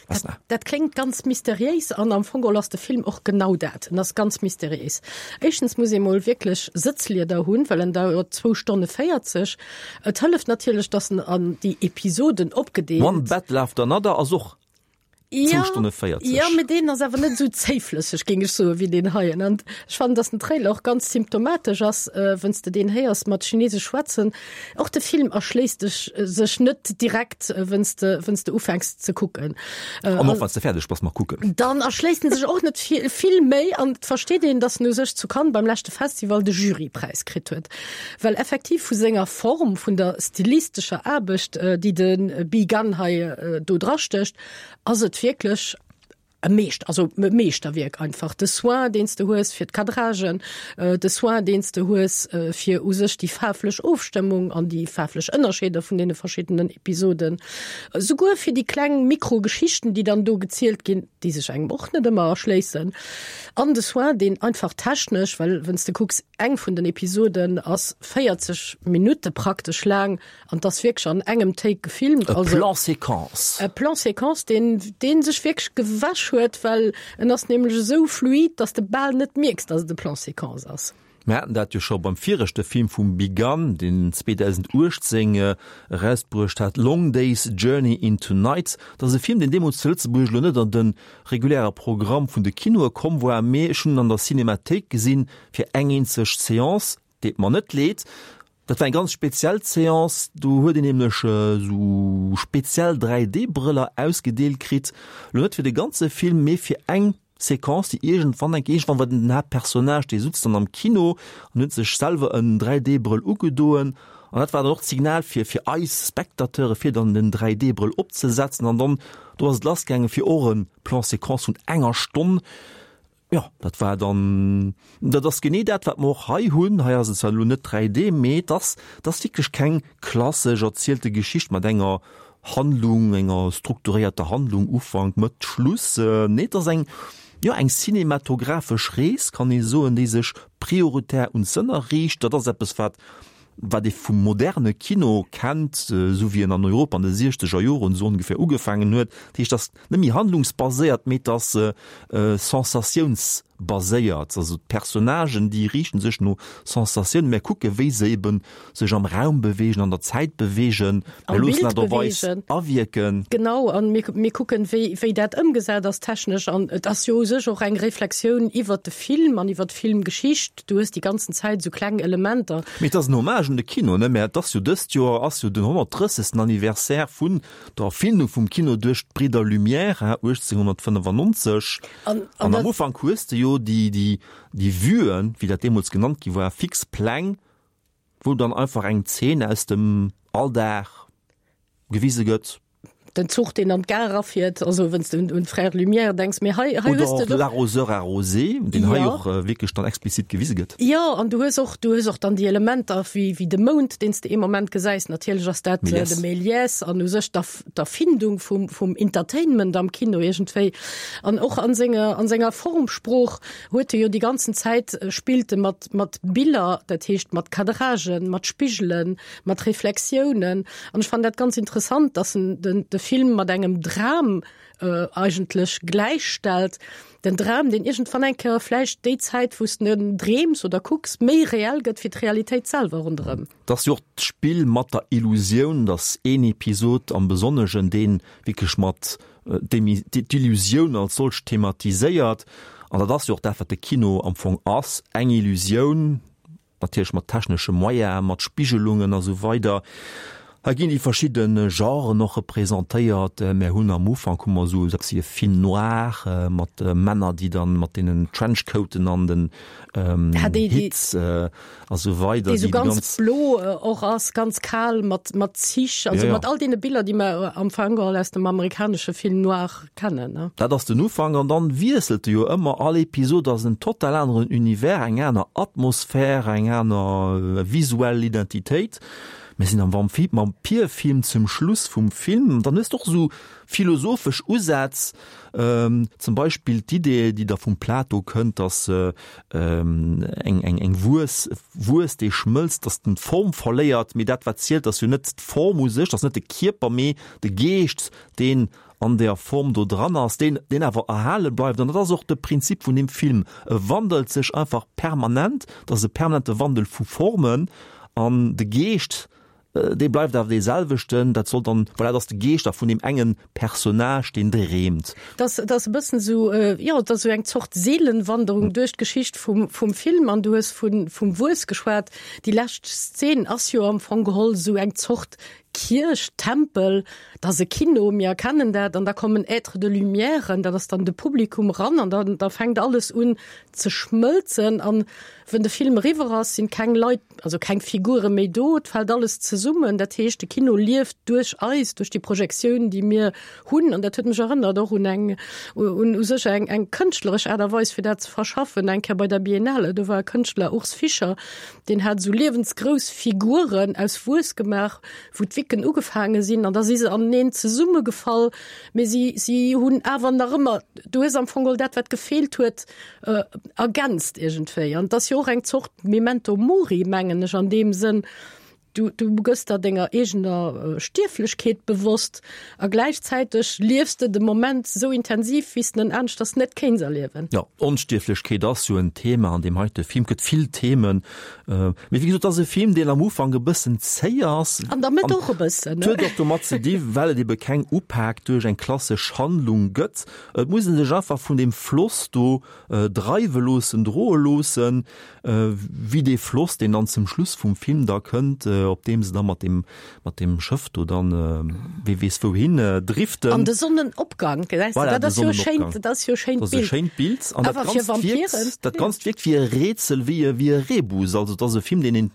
Dat, dat kléngt ganz mysteriéis an am Fong geholl ass de Film och genau dat. En ass ganz mysteriéis. Éischtens muss ee mol wierklech Sëtzlieder hunn, well en dauert zwou Stonne 40. Et hëlleft natierlech, datt en an déi Episoden opgedeelt. One Battle After Another ass och zwou Stonne 40. Jo, mee deen ass awer net esou zéiflësseg, géing ech soen, wéi deen heien. An ech fannen, datt den Trailer och ganz symptomatesch ass, wenn's de deen héiers mat Chinesesch schwätzen. Och de Film erschléisst dech sech net direkt, wenn's de, wenn's de ufänks ze kucken. An och wanns de fäerdeg bass mat kucken. Dann erschléisst en sech och net vill, vill méi an et versteet een, dass en u sech zu Cannes beim leschte Festival de Jurypräis kritt huet. Well effektiv vu senger Form, vun der stilistescher Aarbecht, déi de Bi Gan hei do drastécht, ass et wierklech. E Meescht, also e Meeschterwierk einfach. De Soin, deen s de hues fir d'Cadragen, de Soin, deen s de hues fir u sech déi faarflech Ofstëmmung an déi faarflech Ënnerscheeder vun deene verschiddenen Episoden, souguer fir déi kleng Mikrogeschichten, déi dann do gezielt ginn, déi sech engem och net ëmmer erschléissen. An de Soin, deen einfach technesch, well wann s de kucks, eng vun den Episoden ass 40 Minutte praktesch laang, An 't ass wierklech an engem Take gefilmt. E Plan séquence. E Plan séquence, deen, dee sech wierklech gewäsch huet, well en ass nämlech esou fluid, dass de bal net mierks, dass et e Plan séquence ass. Mir haten dat jo scho beim viregte Film vum Bigan, deen 2018 erausbruecht hat, Long Day's Journey into Night. Dat ass e Film, deen deemools zu Lëtzebuerg elo net an de reguläre Programm vun de Kinoe komm war, mee ech hunn en an der Cinémathéik gesinn, fir eng eenzeg Seance. Deet mer net leed. Dat war eng ganz speziell Seance, do huet een nämlech esou speziell 3D-Brëller ausgedeelt kritt, lo net fir de ganze Film, mee fir eng Séquence, déi iergendwann eng, iergendwann war den Haaptpersonnage, dee sutz dann am Kino an huet sech selwer en 3D-Brëll ugedoen an dat war dann och d'Signal fir fir eis Spectateure fir dann den 3D-Brëll opzesetzen an dann do ass et lassgaange fir och e Plan-séquence vun enger Stonn. Jo, dat war dann, dat ass genee dat, wat mer och hei hunn. Hei ass et zwar elo net 3D, mee et ass, et ass wierklech keng klassesch erzielte Geschicht mat enger Handlung, enger strukturéierter Handlung, Ufank, Mëtt, Schluss. Nee, et ass eng, jo, eng cinematographesch Rees, kann ee soen, déi sech prioritär un d'Sënner riicht. Dat ass eppes, wat, wat ee vum moderne Kino kennt, esou wéi en an Europa an de siechzeger Joren esou ongeféier ugefaangen huet. Dat heescht, et ass net méi handlungsbaséiert, mee et ass sensatiounsbaséiert. Also d'Personnagen, déi riichten sech no Sensatiounen. Mir kucke wéi se eben sech am Raum beweegen, an der Zäit beweegen, mir loossen dat op eis awierken. Genau, an mir, mir kucken, wéi, wéi dat ëmgesat ass technesch. An et ass jo u sech och eng Reflexioun iwwert de Film an iwwert d'Filmgeschicht. Du hues déi ganzen Zäit esou kleng Elementer. Mee et ass en Hommage un de Kino, ne? Mä et ass jo dëst Joer ass jo den 130. Anniversaire vun der Erfindung vum Kino duerch d'Bridder Lumière, 1895. An, an am Ufank hues de jo déi, déi, déi Vuen, wéi dat deemools genannt gi war, fix Pläng, wou dann einfach eng Zeen aus dem Alldag gewise gëtt. Den Zuch, deen an d'Gare erafiert, also wann s de un, un d'Frères Lumière denks, mee hei, hei hues de. Oder och L'arroseur arrosé, deen hei och wierklech dann explizit gewise gëtt. Jo, an du hues och, du hues och dann déi Elementer wéi, wéi de Mound, deen s de ee Moment gesäis. Natierlech ass dat de Méliès an u sech d'Erfindung vum, vum Entertainment am Kino iergendwéi. An och an senger, an senger Formsprooch huet e jo déi ganzen Zäit, spillt e mat, mat Biller, dat heescht mat Cadragen, mat Spigelen, mat Reflexiounen. An ech fannen dat ganz interessant, dass en den, de Film mat engem Dram äh, eigentlech gläichstellt. Den Dram, deen iergendwann eng Kéier vläicht déi Zäit, wou s de en dreems oder kucks, méi reell gëtt wéi d'Realitéit selwer ronderëm. Et ass jo och d'Spill mat der Illusioun, dass een Episod am Besonnegen, dee wierklech mat d'Illusioun als solch thematiséiert, an dat ass jo och dat, wat de Kino am Fong ass, eng Illusioun, Natierlech mat technesche Moyene, mat Spigelungen a sou weider. Hei ginn déi verschidde Genren och representéiert. Mär hunn am Ufank hu mer esou eppes wéi e Film noir mat Männer, déi dann mat deenen Trenchcoaten an den Hits a sou weider. Déi esou ganz blo och ass, ganz kal mat mat Zich, also mat all deene Biller, déi mer am Fong geholl aus dem amerikanesche Film noir kennen, ne? Dat ass den Ufank an dann wiesselt e jo ëmmer, all Episod ass en total aneren Univers, eng aner Atmosphär, eng aner visuell Identitéit. Mir sinn am Vampirfilm zum Schluss vum Film, dann hues de och esou philosophesch Usätz, zum Beispill d'Idee, déi da vum Plato kënnt, dass eng eng eng Wues, Wues déi schmëlzt, dass den d'Form verléiert, mee dat wat zielt ass jo net d'Form u sech, ass net de Kierper, mee de Geescht, deen an där Form do dran ass, deen, deen awer erhale bleift. An dat ass och de Prinzip vun deem Film. E wandelt sech einfach permanent, et ass e permanente Wandel vu Formen an de Geescht, dee bleift awer dee selwechten. Dat soll dann, voilà, dat ass de Geescht da vun deem engen Personnage, deen dreemt. Dat ass e bëssen esou, jo, et ass esou eng Zort Seelenwanderung duerch d'Geschicht vum, vum Film. An du hues vu, vum Wuess geschwat. Déi lescht Szen ass jo am Fong geholl esou eng Zort. Kierch, Tempel, dat ass e Kino, mir erkennen dat, an da kommen Êtres de lumière, dat ass dann de Publikum ran an dann da fänkt alles un ze schmëlzen an wenn de Film eriwwer ass, sinn keng Leit, also keng Figure méi do, et fält alles zesummen. Dat heescht, de Kino lieft duerch eis, duerch déi Projektioun, déi mir hunn an dat huet mech erënnert och un eng un u sech eng eng kënschtleresch Aart a Weis fir dat ze verschaffen, eng Kéier bei der Biennale, do war e Kënschtler, Urs Fischer, Deen hat esou liewensgrouss Figuren aus Wues gemaach, wou d'Wicken ugefaange sinn an da si se aneneen zesummegefall, mee si, si hunn awer nach ëmmer, du hues am Fong geholl dat, wat gefeelt huet, ergänzt iergendwéi. An et ass jo och eng Zort Memento Mori, mengen ech, an deem Sënn, du, du gëss der denger eegener Stierflechkeet bewosst a gläichzäiteg liefs de de Moment esou intensiv, wéi s de en aneschters net kéints erliewen. Jo, Onstierflechkeet ass jo en Thema an deem heite Film. Et gëtt vill Themen. Mee wéi gesot, et ass e Film, deen am Ufank e bëssen zéi ass. An der Mëtt och e bëssen, ne? Et huet och domat ze di well et ebe keng Upak duerch eng klassesch Handlung gëtt. Et muss ee sech einfach vun deem Floss do dreiwe loossen, droe loossen, wéi dee Floss, deen dann zum Schluss vum Film da kënnt, op deem se da mat deem, mat deem Schëff do dann, wee weess wouhin, driften. An de Sonnenopgang, gesäis de, dat ass jo e schéint, dat ass jo e schéint Bild. Dat ass e schéint Bild. An dat Ganzt wierkt, dat Ganzt wierkt wéi e Rätsel, wéi e, wéi e Rebus. Also et ass e Film, deen een,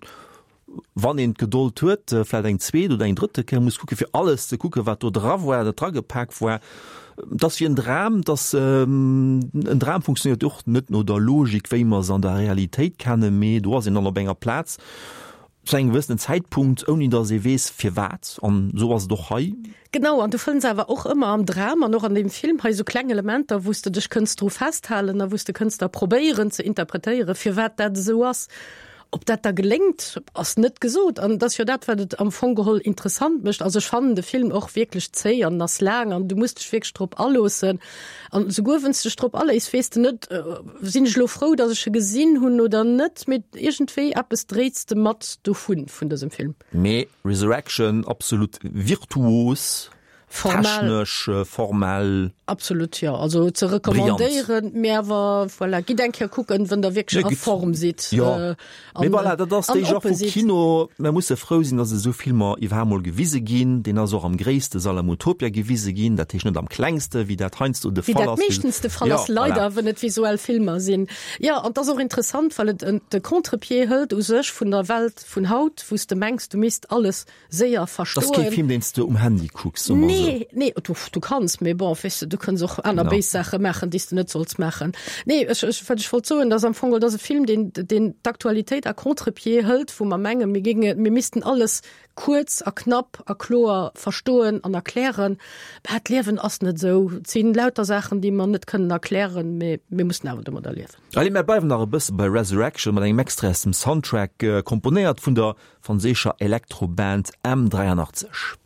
wann een d'Gedold huet, vläicht eng zweet oder eng drëtte Kéier muss kucken, fir alles ze kucken, wat do dra war, dat dragepak war. Et ass wéi en Dram, et ass, en Dram funktionéiert och net no der Logik, wéi mer se an der Realitéit kennen, mee do ass een dann op enger Plaz zu engem gewëssenen Zäitpunkt, ouni datt ee weess firwat. An esou ass et och hei. Genau, an du fënns awer och ëmmer am Dram an och an deem Film hei esou kleng Elementer, wou s de dech kënns dru festhalen a wou s de kënns da probéieren ze interpretéieren, firwat dat esou ass. Ob dat da geléngt, ass net gesot. An et ass jo dat, wat et am Fong geholl interessant mécht. Also ech fannen de Film och wierklech zéi an en ass laang an du muss dech wierklech drop aloossen. An esouguer wann s de dech drop aléiss, weess de net, sinn ech elo frou, datt ech e gesinn hunn oder net. Mee iergendwéi eppes dréits de mat dovun, vun dësem Film. Mee Resurrection, absolut virtuos. Formal. Technesch, formell. Absolut, jo. Also ze recommandéieren, mee awer voilà, gitt eng Kéier kucken, wann der wierklech a Form sidd. Jo, mee voilà, dat ass déi Genre vu Kino. Mer musse frou sinn, datt esou Filmer iwwerhaapt mol gewise ginn. Deen ass och am gréisste Sall am Utopia gewise ginn, dat heescht net am klengste, wéi dat heiansdo de Fall ass. Wéi dat meeschtens de Fall ass, leider, wann et visuell Filmer sinn. Jo, an et ass och interessant, well et de Contre-pied hëlt u sech vun der Welt vun haut, wou s de mengs, du misst alles séier verstoen. Dat ass kee Film, deen s de um Handy kucks, soe mer esou. Nee, nee, du, du kanns, mee bon, weess de, du kënns och aner béis Saache maachen, déi s de net solls maachen. Nee, ech, ech, wat ech wollt soen, dat ass am Fong, dat ass e Film, deen, deen d'Aktualitéit à contre-pied hëlt, wou mer mengen, mir géinge, mir missten alles kuerz a knapp a kloer verstoen an erklären. Mä d'Liewen ass net esou. Et si lauter Saachen, déi mer net kënnen erklären, mee mir mussen awer domadder liewen. Allez, mär bleiwen nach e bësse bei Resurrection mat engem Extrait aus dem Soundtrack, komponéiert vun der franséischer Elektroband M83.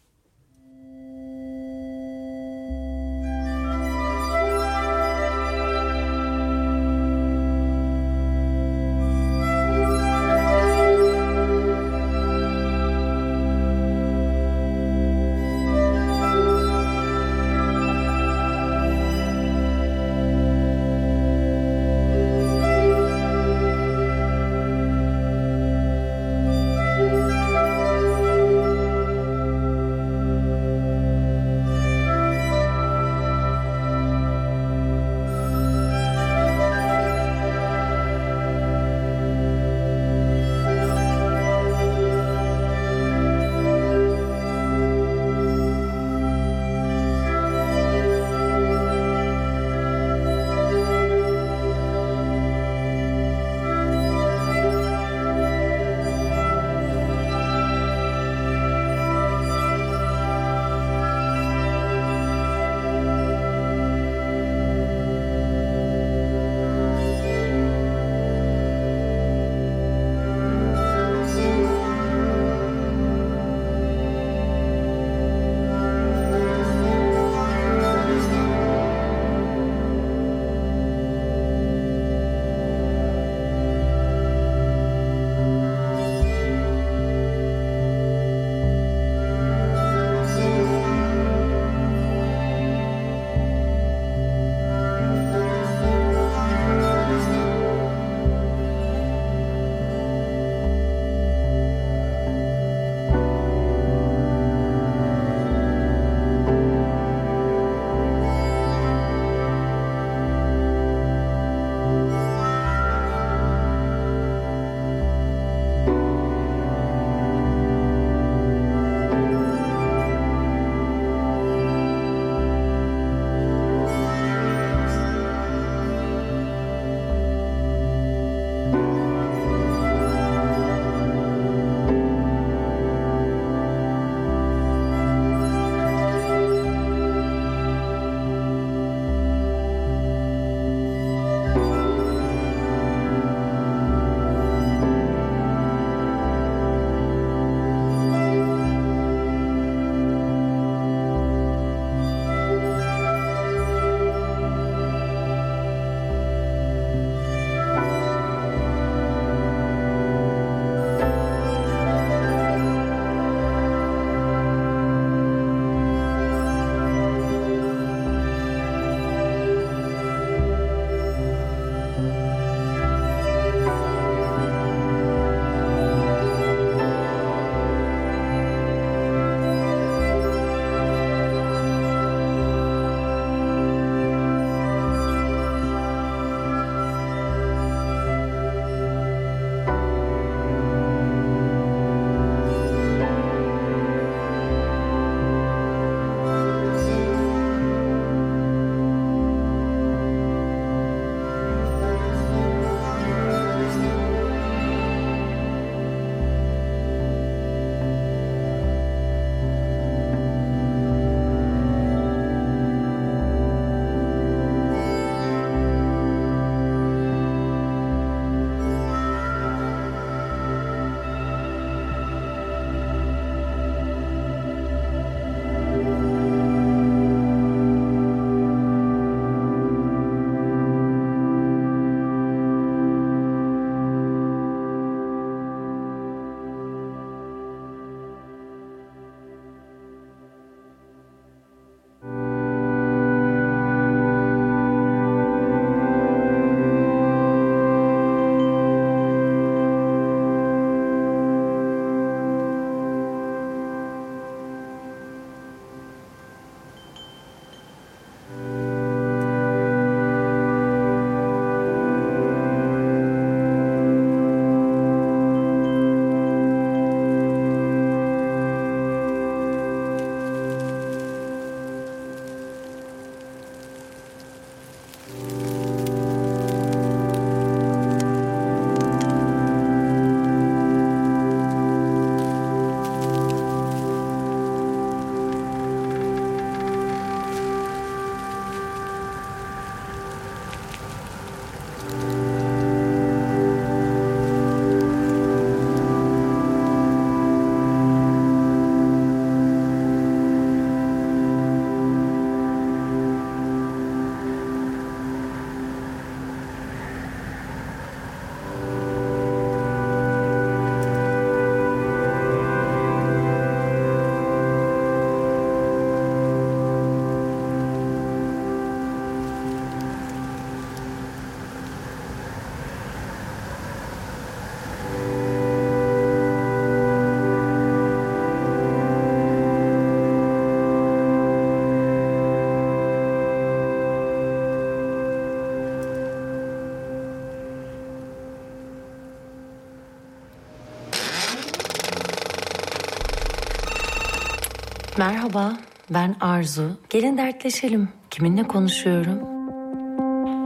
Merhaba, ben Arzu. Gelin dertleşelim. Kiminle konuşuyorum?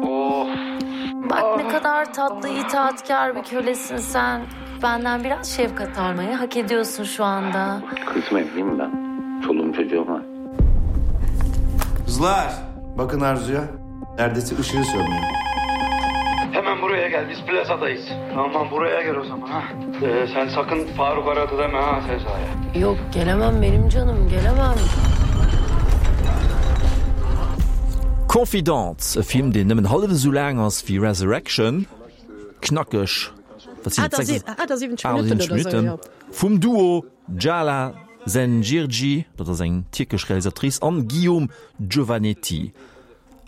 Of. Bak ne kadar tatlı, itaatkar bir kölesin sen. Benden biraz şefkat almayı hak ediyorsun şu anda. Kızım evliyim ben. Çoluğum çocuğum var. Kızlar bakın Arzu'ya. Neredeyse ışığı sönmüyor. Hemen buraya gel biz plazadayız. Aman buraya gel o zaman ha. Ee, sen sakın Faruk aradı deme ha Sezai'ye. Yok gelemem benim canım gelemem. Confidante, e Film deen nëmmen hallef esou laang ass wéi Resurrection, knackeg, wat sinn et, 78 Minutten oder esou, jo. Vum Duo Jala Zencirci, dat ass eng tierkesch Realisatrice, an Guillaume Giovanetti.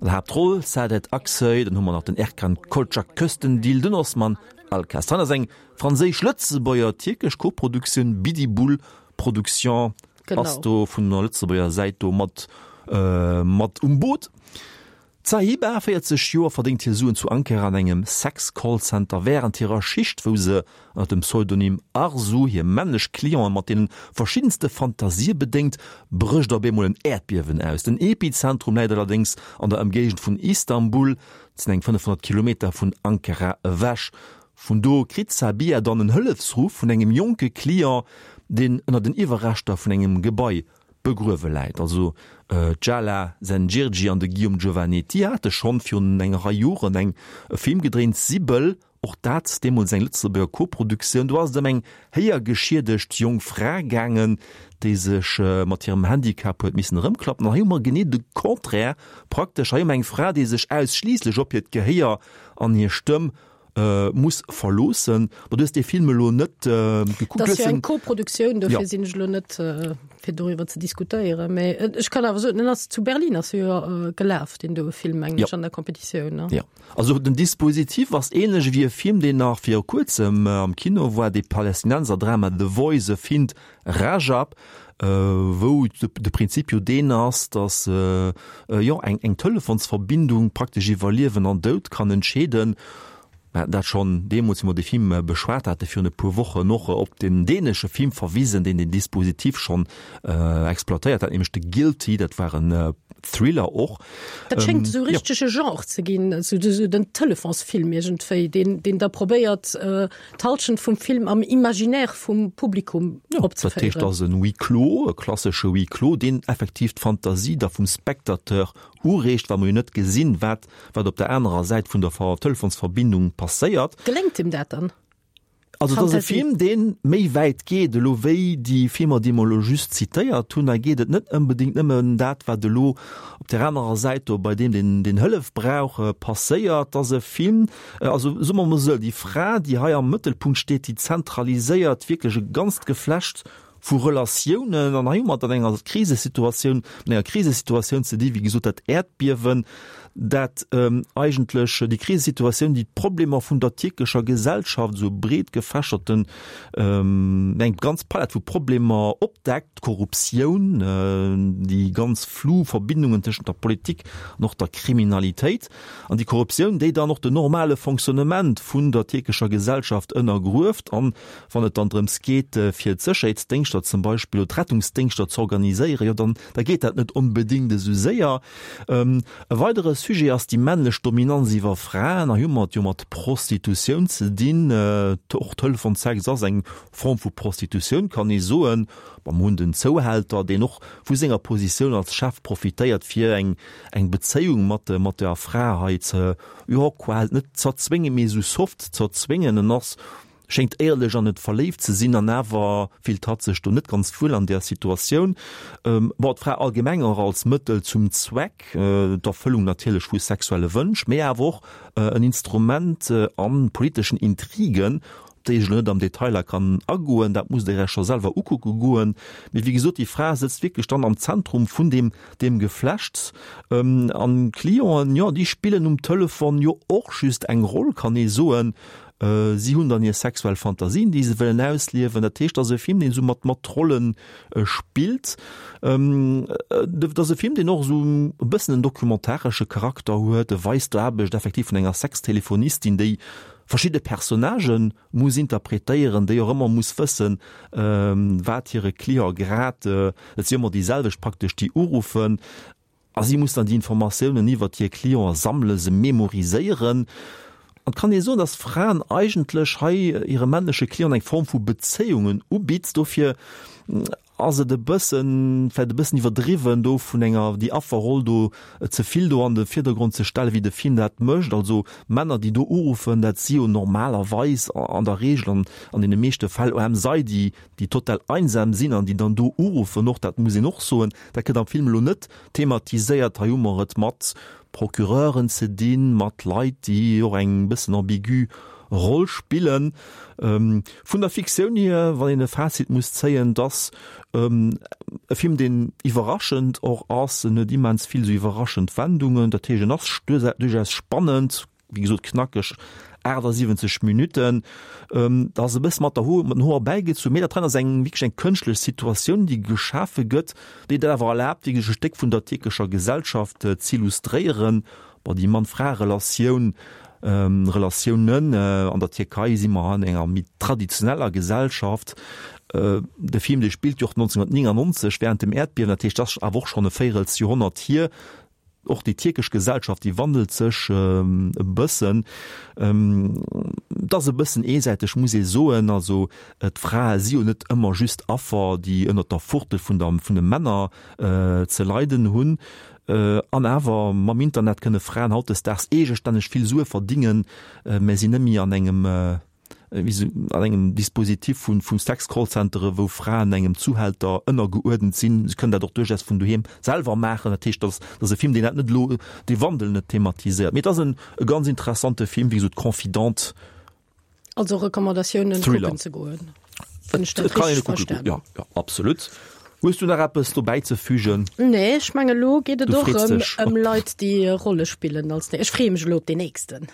An der Haaptroll Saadet Aksoy, dann hu mer nach den Erkan Kolçak Köstendil, den Osman Alkas. Dann ass eng franséisch-lëtzebuerger-tierkesch Koproduktioun, Bidibul Production ass do vun der Lëtzebuerger Säit do mat mat um Boot. D'Sahiba, 40 Joer, verdéngt hir Suen zu Ankara an engem Sex-Call-Center wärend hirer Schicht, wou se ënner dem Pseudonym Arzu hir männlech Clienten mat deene verschiddenste Fantasië bedéngt, brécht op eemol en Äerdbiewen aus. Den Epizentrum läit allerdéngs an der Ëmgéigend vun Istanbul, dat sinn eng 500 Kilometer vun Ankara ewech. Vun do kritt d'Sabiha dann en Hëllefsruff vun engem jonke Client, deen ënner den Iwwerreschter vun engem Gebai begruewe läit. Also d'Jala Zengirgi an de Guillaume Giovanetti hate schonn virun enger Rei Joren eng e Film gedréint, Sibyl, och dat deemools eng Lëtzebuerger Koproduktioun. Do ass et ëm eng héiergeschiedegt jonk Fra gaangen, déi sech mat hirem Handicap huet missen erëmklappen. An hei hu mer genee de Contraire praktesch. Hei hu mer eng Fra, déi sech ausschliisslech op hiert Gehéier an hir Stëmm muss verloossen. Ma du hues dee Film elo net gekuckt. Dat ass jo eng Koproduktioun, dofir sinn ech elo net fir doriwwer ze diskutéieren. Mä ech kann awer soen, en ass zu Berlin ass e jo gelaf, deen doe Film, mengen ech, an der Competitioun, ne? Jo. Also den Dispositif ass ähnlech ewéi e Film, deen nach viru kuerzem am Kino war, dee Palästinenser-Drama The Voice of Hind Rajab, wou de Prinzip jo deen ass, datt jo eng eng Telefonsverbindung praktesch iwwer Liewen an Doud kann entscheeden. Mir haten dat schonn deemools, wéi mer dee Film beschwat hate virun e puer Wochen, och op den dänesche Film verwisen, deen den Dispositif schonn exploitéiert hat, nämlech de Guilty. Dat war en Thriller och. Dat schéngt esou richteg e Genre ze ginn, esou den Telefonsfilm iergendwéi, deen deen da probéiert, d'Halschent vum Film am Imaginaire vum Publikum opzeféieren. Dat heescht, et ass en Huis clos, e klassesche Huis clos, deen effektiv d'Fantasie da vum Spectateur ureegt, well mer jo net gesinn, wat wat op der anerer Säit vun der Telefonsverbindung passéiert. Geléngt him dat dann? Also et ass e Film, dee méi wäit geet elo wéi déi Filmer, déi mer elo just zitéiert hunn. Hei geet et net onbedéngt nëmmen ëm dat, wat elo op där anerer Säit do bei deem, deen deen Hëllef brauch, passéiert. Et ass e Film, Also soe mer emol esou, déi Fra, déi hei am Mëttelpunkt steet, déi zentraliséiert wierklech e ganzt Geflecht vu Relatiounen. An hei hu mer et an enger Krisesituatioun, mat enger Krisesituatioun ze di, wéi gesot, dat Äerdbiewen, dat eigentlech déi Krisesituatioun, déi d'Problemer vun der tierkescher Gesellschaft, esou breet gefächerten, eng ganz Palett vu Problemer opdeckt, d'Korruptioun, déi ganz flu Verbindungen tëschent der Politik an och der Kriminalitéit. An déi Korruptioun, déi dann och den normale Fonctionnement vun der tierkescher Gesellschaft ënnergrueft. An wann et dann drëms geet, fir d'Sécherheetsdéngschter zum Beispill oder d'Rettungsdéngschter ze organiséieren, jo dann, da geet dat net onbedéngt esou séier. E weidere Sujet ass déi männlech Dominanz iwwer Fraen. Hei hu mer et jo mat Prostitutioun ze dinn. Och Telefonsex ass eng Form vu Prostitutioun, kann ee soen. Bon, mer hunn den Zouhälter, deen och vu senger Positioun als Chef profitéiert, fir eng eng Bezéiung mat mat der Fra hei ze, jo, quasi net z'erzwéngen, mee esou soft z'erzwéngen. En ass, schéngt éierlech an et verléift ze sinn, an awer fillt hatt sech do net ganz wuel an där Situatioun. Bon, d'Fra allgemeng och als Mëttel zum Zweck, d'Erfëllung natierlech vu sexuelle Wënsch, mee awer och en Instrument a politeschen Intrigen, op déi ech elo net am Detailer kann agoen, dat musst Dir Iech scho selwer ukucke goen. Mee wéi gesot, déi Fra sëtzt wierklech dann am Zentrum vun deem, deem Geflechts. An d'Clienten, jo, déi spillen um Telefon jo och just eng Roll, kann ee soen. Si hunn dann hir sexuell Fantasien, déi se wëllen ausliewen. Dat heescht, et ass e Film, deen esou mat, mat Rolle spillt. Et ass e Film, deen och esou e bëssen en documentaresche Charakter huet. E weist d'Aarbecht effektiv vun enger Sextelefonistin, déi. verschidde Personnagë muss interpretéieren, déi och ëmmer muss wëssen, wat hire Client grad, et si ëmmer déi selwecht praktesch, déi uruffen, a si muss dann déi Informatiounen iwwert hir Cliente sammelen, se memoriséieren. An et kann ee soen, dass Fraen eigentlech hei hire männleche Clienten eng Form vu Bezéiungen ubitt. Dofir ass et e bëssen, vläicht e bëssen iwwerdriwwen, do vun enger, déi Afferroll do ze vill do an de Virdergrond ze stellen, wéi de Film dat mécht. Also Männer, déi do uruffen, dat si jo normalerweis an der Regel an an deene meeschte Fäll OMSI, déi, déi total einsam sinn an déi dann do uruffen och, dat muss een och soen. Dat gëtt am Film elo net thematiséiert. Hei hu mer et mat Procureuren ze dinn, mat Leit, déi och eng bëssen ambigu Roll spillen. Vun der Fiktioun hier, wann een e Fazit muss zéien, dass e Film, deen iwwerraschend och ass, en huet immens vill esou iwwerraschend Wendungen, dat heescht en ass duerchaus spannend, wéi gesot knackeg 78 Minutten, da ass e bësse mat der Hoer, mat den Hoer bäigezunn, mee dat hei ass eng wierklech eng kënschtlech Situatioun, déi geschafe gëtt, déi et awer erlaabt, wierklech e Stéck vun der tierkescher Gesellschaft z'illustréieren. Bon, déi Mann-Fra-Relatioun, Relatiounen, an der Tierkei si mer an enger méi traditioneller Gesellschaft. De Film, dee spillt jo och 1999 während dem Äerdbiewen, dat heescht, dat ass awer och schonn e Véirelsjoerhonnert hier. Och déi tierkesch Gesellschaft, déi wandelt sech e bëssen. Et ass e bëssen eesäiteg, muss ee soen. Also d'Frae si jo net ëmmer just Affer, déi ënnert der Fuertel vun der, vun de Männer ze leiden hunn. An awer, mam Internet kënne Fraen hautdesdaags eegestänneg vill Sue verdingen, mä sinn net méi an engem, an engem Dispositif vu vu Sex-Callcentere, wou Fraen engem Zuhälter ënnergeuerdent sinn. Se kënnen dat och duerchaus vun doheem selwer maachen. Dat heescht, dat ass e Film, deen dat net elo, dee Wandel net thematiséiert. Mee et ass en e ganz interessante Film, wéi gesot, Confidente. Also Recommandatiounen Thriller. kucken ze goen. Wann ech dat Et kann een richteg e kucke goen, verstanen. ja, ja, absolut. Hues du nach eppes dobäi ze fügen? Nee, ech menge lo geet et Du och freets ëm dech ëm op. Leit, déi Rolle spillen als. Ech freeë mech elo op deen nächsten.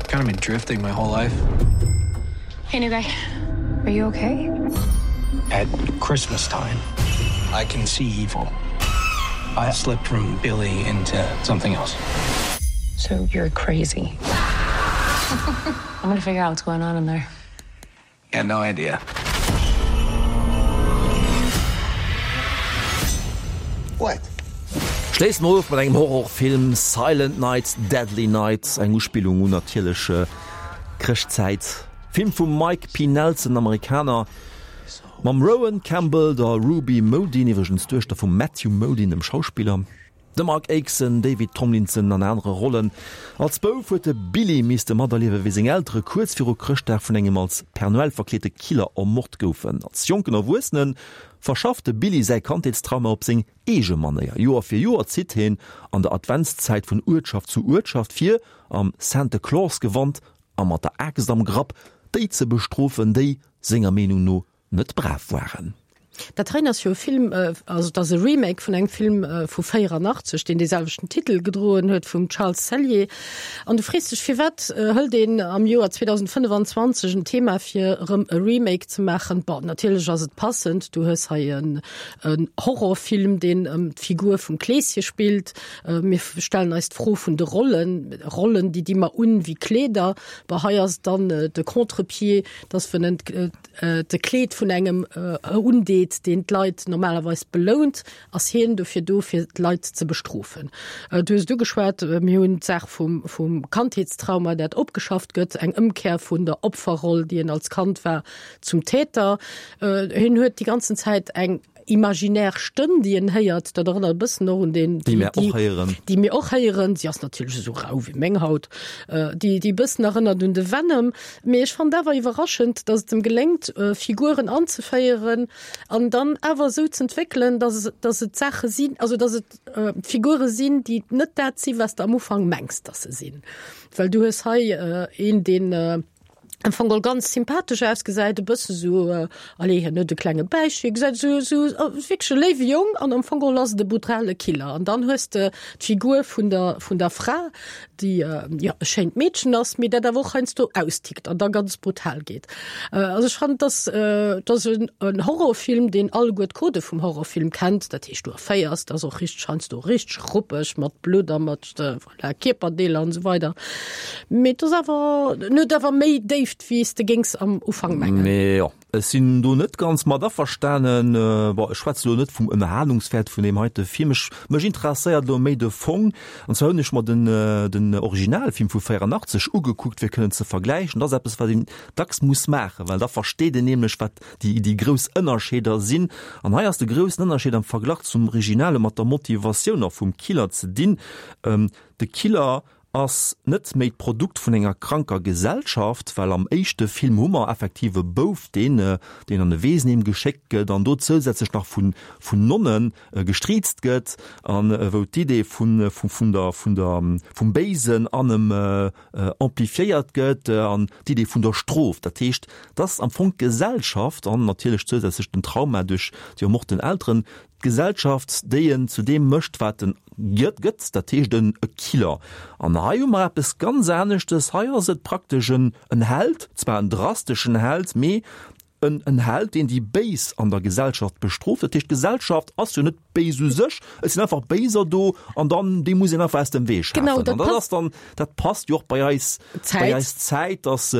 Kind of been drifting my whole life. Hey, new guy. Are you okay? At Christmas time, I can see evil. I slipped from Billy into something else. So you're crazy. I'm gonna figure out what's going on in there. Had no idea. What? Schléissen mer of mat engem Horrorfilm, Silent Night, Deadly Night, eng Uspillung un natierlech Chrëschtzäit. Film vum Mike P. Nelson, Amerikaner, mam Rowan Campbell, der Ruby Modine, iwwregens d'Duechter vum Matthew Modine, dem Schauspiller, dem Mark Aikson, David Tomlinson an anere Rollen. Als Bouf huet de Billy misste materliewe wéi seng Eltere kuerz viru Chrëschtdag vun engem als Père Noël verkleete Killer ermort goufen. Als jonken Erwuessene verschafft de Billy säi Kandheetstrauma op seng eege Manéier. Joer fir Joer zitt hien an der Adventszäit vun Uertschaft zu Uertschaft fir am Santa Claus Gewand a mat der Aaxt am Grapp déi ze bestrofen, déi senger Meenung no net brav waren. Dat heien ass jo e Film, also et ass e Remake vun engem Film vu 84, deen dee selwechten Titel gedroen huet, vum Charles Cellier. An du frees dech, firwat hëlt een am Joer 2025 en Thema fir erëm e Remake ze maachen? Bon, natierlech ass et passend, du hues hei en Horrorfilm, deen ëm d'Figur vum Kleeschen spillt. Mir stellen eis d'Fro vun de Rollen, Rollen, déi di mer un wéi Kleeder. Bon, hei ass et dann de Contre-pied, dass wenn en de Kleed vun engem undeet, deen d'Leit normalerweis belount, ass hien dofir do, fir d'Leit ze bestrofen. Du hues et ugeschwat, mir hunn d'Saach vum, vum Kandheetstrauma, dat opgeschafft gëtt, eng Ëmkehr vun der Opferroll, déi en als Kand war, zum Täter. Hien huet déi ganzen Zäit eng imaginär Stëmm, déi en héiert. Dat erënnert e bëssen och un deen, déi mir och héieren. Déi mir och héieren. Si ass natierlech esou rau wéi meng Haut. Déi, déi e bëssen erënnert un de Venom. Mee ech fand awer iwwerraschend, datt et em geléngt, Figuren anzeféieren an dann awer esou z'entwéckelen, datt, datt et Saache sinn, also datt et Figure sinn, déi net dat sinn, wat s de am Ufank mengs, datt se sinn. Well du hues hei een, deen. Am Fong geholl ganz sympathesch ausgesäit, e bësse sou, allez, hien huet e klenge Bäichchen, gesäit sou, sou wierklech e léiwe Jong an am Fong geholl ass et e brutale Killer. An dann hues de d'Figur vun der, vun der Fra, déi, jo, e schéint Meedchen ass, mee dat awer och heiansdo austickt an da ganz brutal geet. Also ech fannen, dass, dass en, en Horrorfilm, deen alleguer d'Codë vum Horrorfilm kennt, dat heescht, du erféiers, dat ass och richteg, heiansdo richteg ruppeg mat Blutt a mat, Voilà, Kierperdeeler an esou weider. Mee et ass awer, en huet awer méi Déift wéi s de géings am Ufank mengen. Mee jo, ech sinn do net ganz mat averstanen. Bon, ech schwätze lo net vum Ënnerhalungswäert vun deem heite Film. Ech, mech interesséiert elo méi de Fong. An zwar hunn ech mer den, den Originalfilm vu 84 ugekuckt, fir kënnen ze vergläichen. Dat ass eppes, wat een dacks muss maachen, well da versteet een nämlech, wat déi, déi grouss Ënnerscheeder sinn. An hei ass de groussen Ënnerscheed am Verglach zum Originale mat der Motivatioun och vum Killer ze dinn. De Killer ass net méi d'Produkt vun enger kranker Gesellschaft, well am éischte Film hu mer effektiv e Bouf, deen, deen an e Weesenheem geschéckt gëtt an do zousätzlech nach vun, vun Nonne gestriizt gëtt an wou d'Idee vun, vun der, vun der, vum Béisen an em amplifiéiert gëtt an d'Idee vun der Strof, dat heescht, dass am Fong d'Gesellschaft an natierlech zousätzlech den Trauma duerch déi ermorten Elteren, d'Gesellschaft, déi en zu deem mécht, wat en gëtt, dat heescht en e Killer. An hei hu mer eppes ganz aneschtes, hei ass et praktesch en Held, zwar en drasteschen Held, mee En en Held, deen déi Béis an der Gesellschaft bestrooft. Dat heescht, d'Gesellschaft ass jo net béis u sech, et sinn einfach Béiser do an dann, déi muss een einfach aus dem Wee schafen. Genau, dat An dat passt. ass dann, dat passt jo och bei eis, bei Zäit. eis Zäit, dass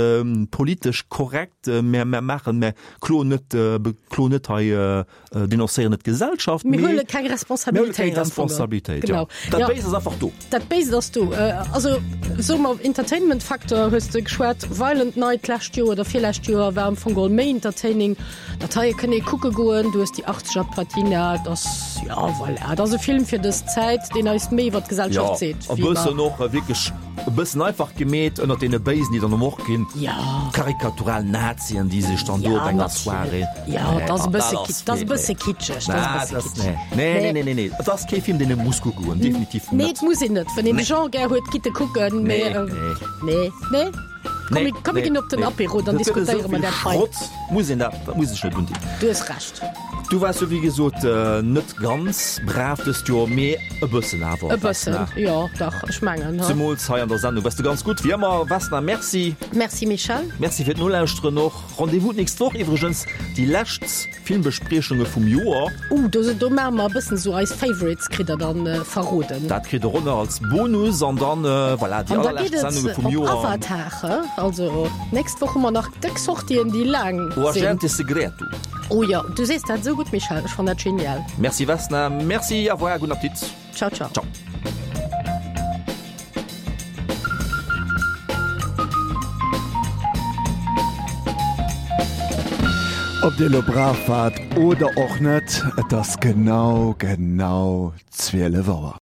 politesch korrekt, mär, mär maachen, mär kloen net, bekloen net hei Denoncéieren net d'Gesellschaft, Mir mee huele keng mir huele Responsabilitéit keng am Fong. Responsabilitéit, Genau. ja. Dat Ja. Béist ass einfach do. Dat Béist ass do. Also soe mer Entertainment-Facteur hues de geschwat. Violent Night d'lescht Joer oder virlescht Joer war am Fong geholl méi entertaining. Dat heie kënnt ee kucke goen. Du hues déi achtzeger Patina. Et ass, ja voilà, et ass e Film fir dës Zäit, deen eis méi iwwer d'Gesellschaft Ja, seet e wéi mer. bëssen och wierklech e bëssen einfach gemeet ënnert deene Béisen, déi dann ermort ginn. Ja. Karikatural Nazien, déi sech dann do Ja, op enger natierlech. Soirée. Ja, et ass e bësse ki-, et ass e bësse kitscheg, et ass e bësse kitscheg. Nee, nee, nee, nee, nee, et ass kee Film, deen ee muss kucke goen, definitiv Nee, net. et muss een net. Wann een de Nee. Genre gär huet, gitt e kucken, mee, Nee, nee. nee, nee. Komm, Nee, mir, komm, mir nee, ginn op den nee. Apéro, dann Dat gëtt esou diskutéiere mer vill dat hei. Schrott, muss een dat, dat muss ech net undinn. Du hues Recht. Du waars jo wéi gesot net ganz brav dëst Joer, mee e bëssen awer. E bëssen, Vesna. jo, dach, ech mengen, ha. Zemools hei an der Sendung waars de ganz gutt, wéi ëmmer. Vesna, merci. Merci, Michel. Merci fir d'Nolauschteren och. Rendez-vous d'nächst Woch iwwregens, déi lescht Filmbespriechunge vum Joer. Uh, do, do maache mer e bëssen esou eis Favorites, kritt der dann verroden. Dat kritt der och nach als Bonus an dann, voilà, déi An da geet allerlescht et Sendunge vum op Joer. Avatar, he? Also nächst Woch hu mer nach déck Sortien, déi laang O sinn. Agente Segreto. Oh jo, du sees dat esou gutt, Michèle, ech fannen dat genial. Merci Vesna, merci, au revoir, gudden Appetit. Ciao, ciao. Ciao. Ob Dir elo brav waart oder och net, et ass genau, genau 12 Auer.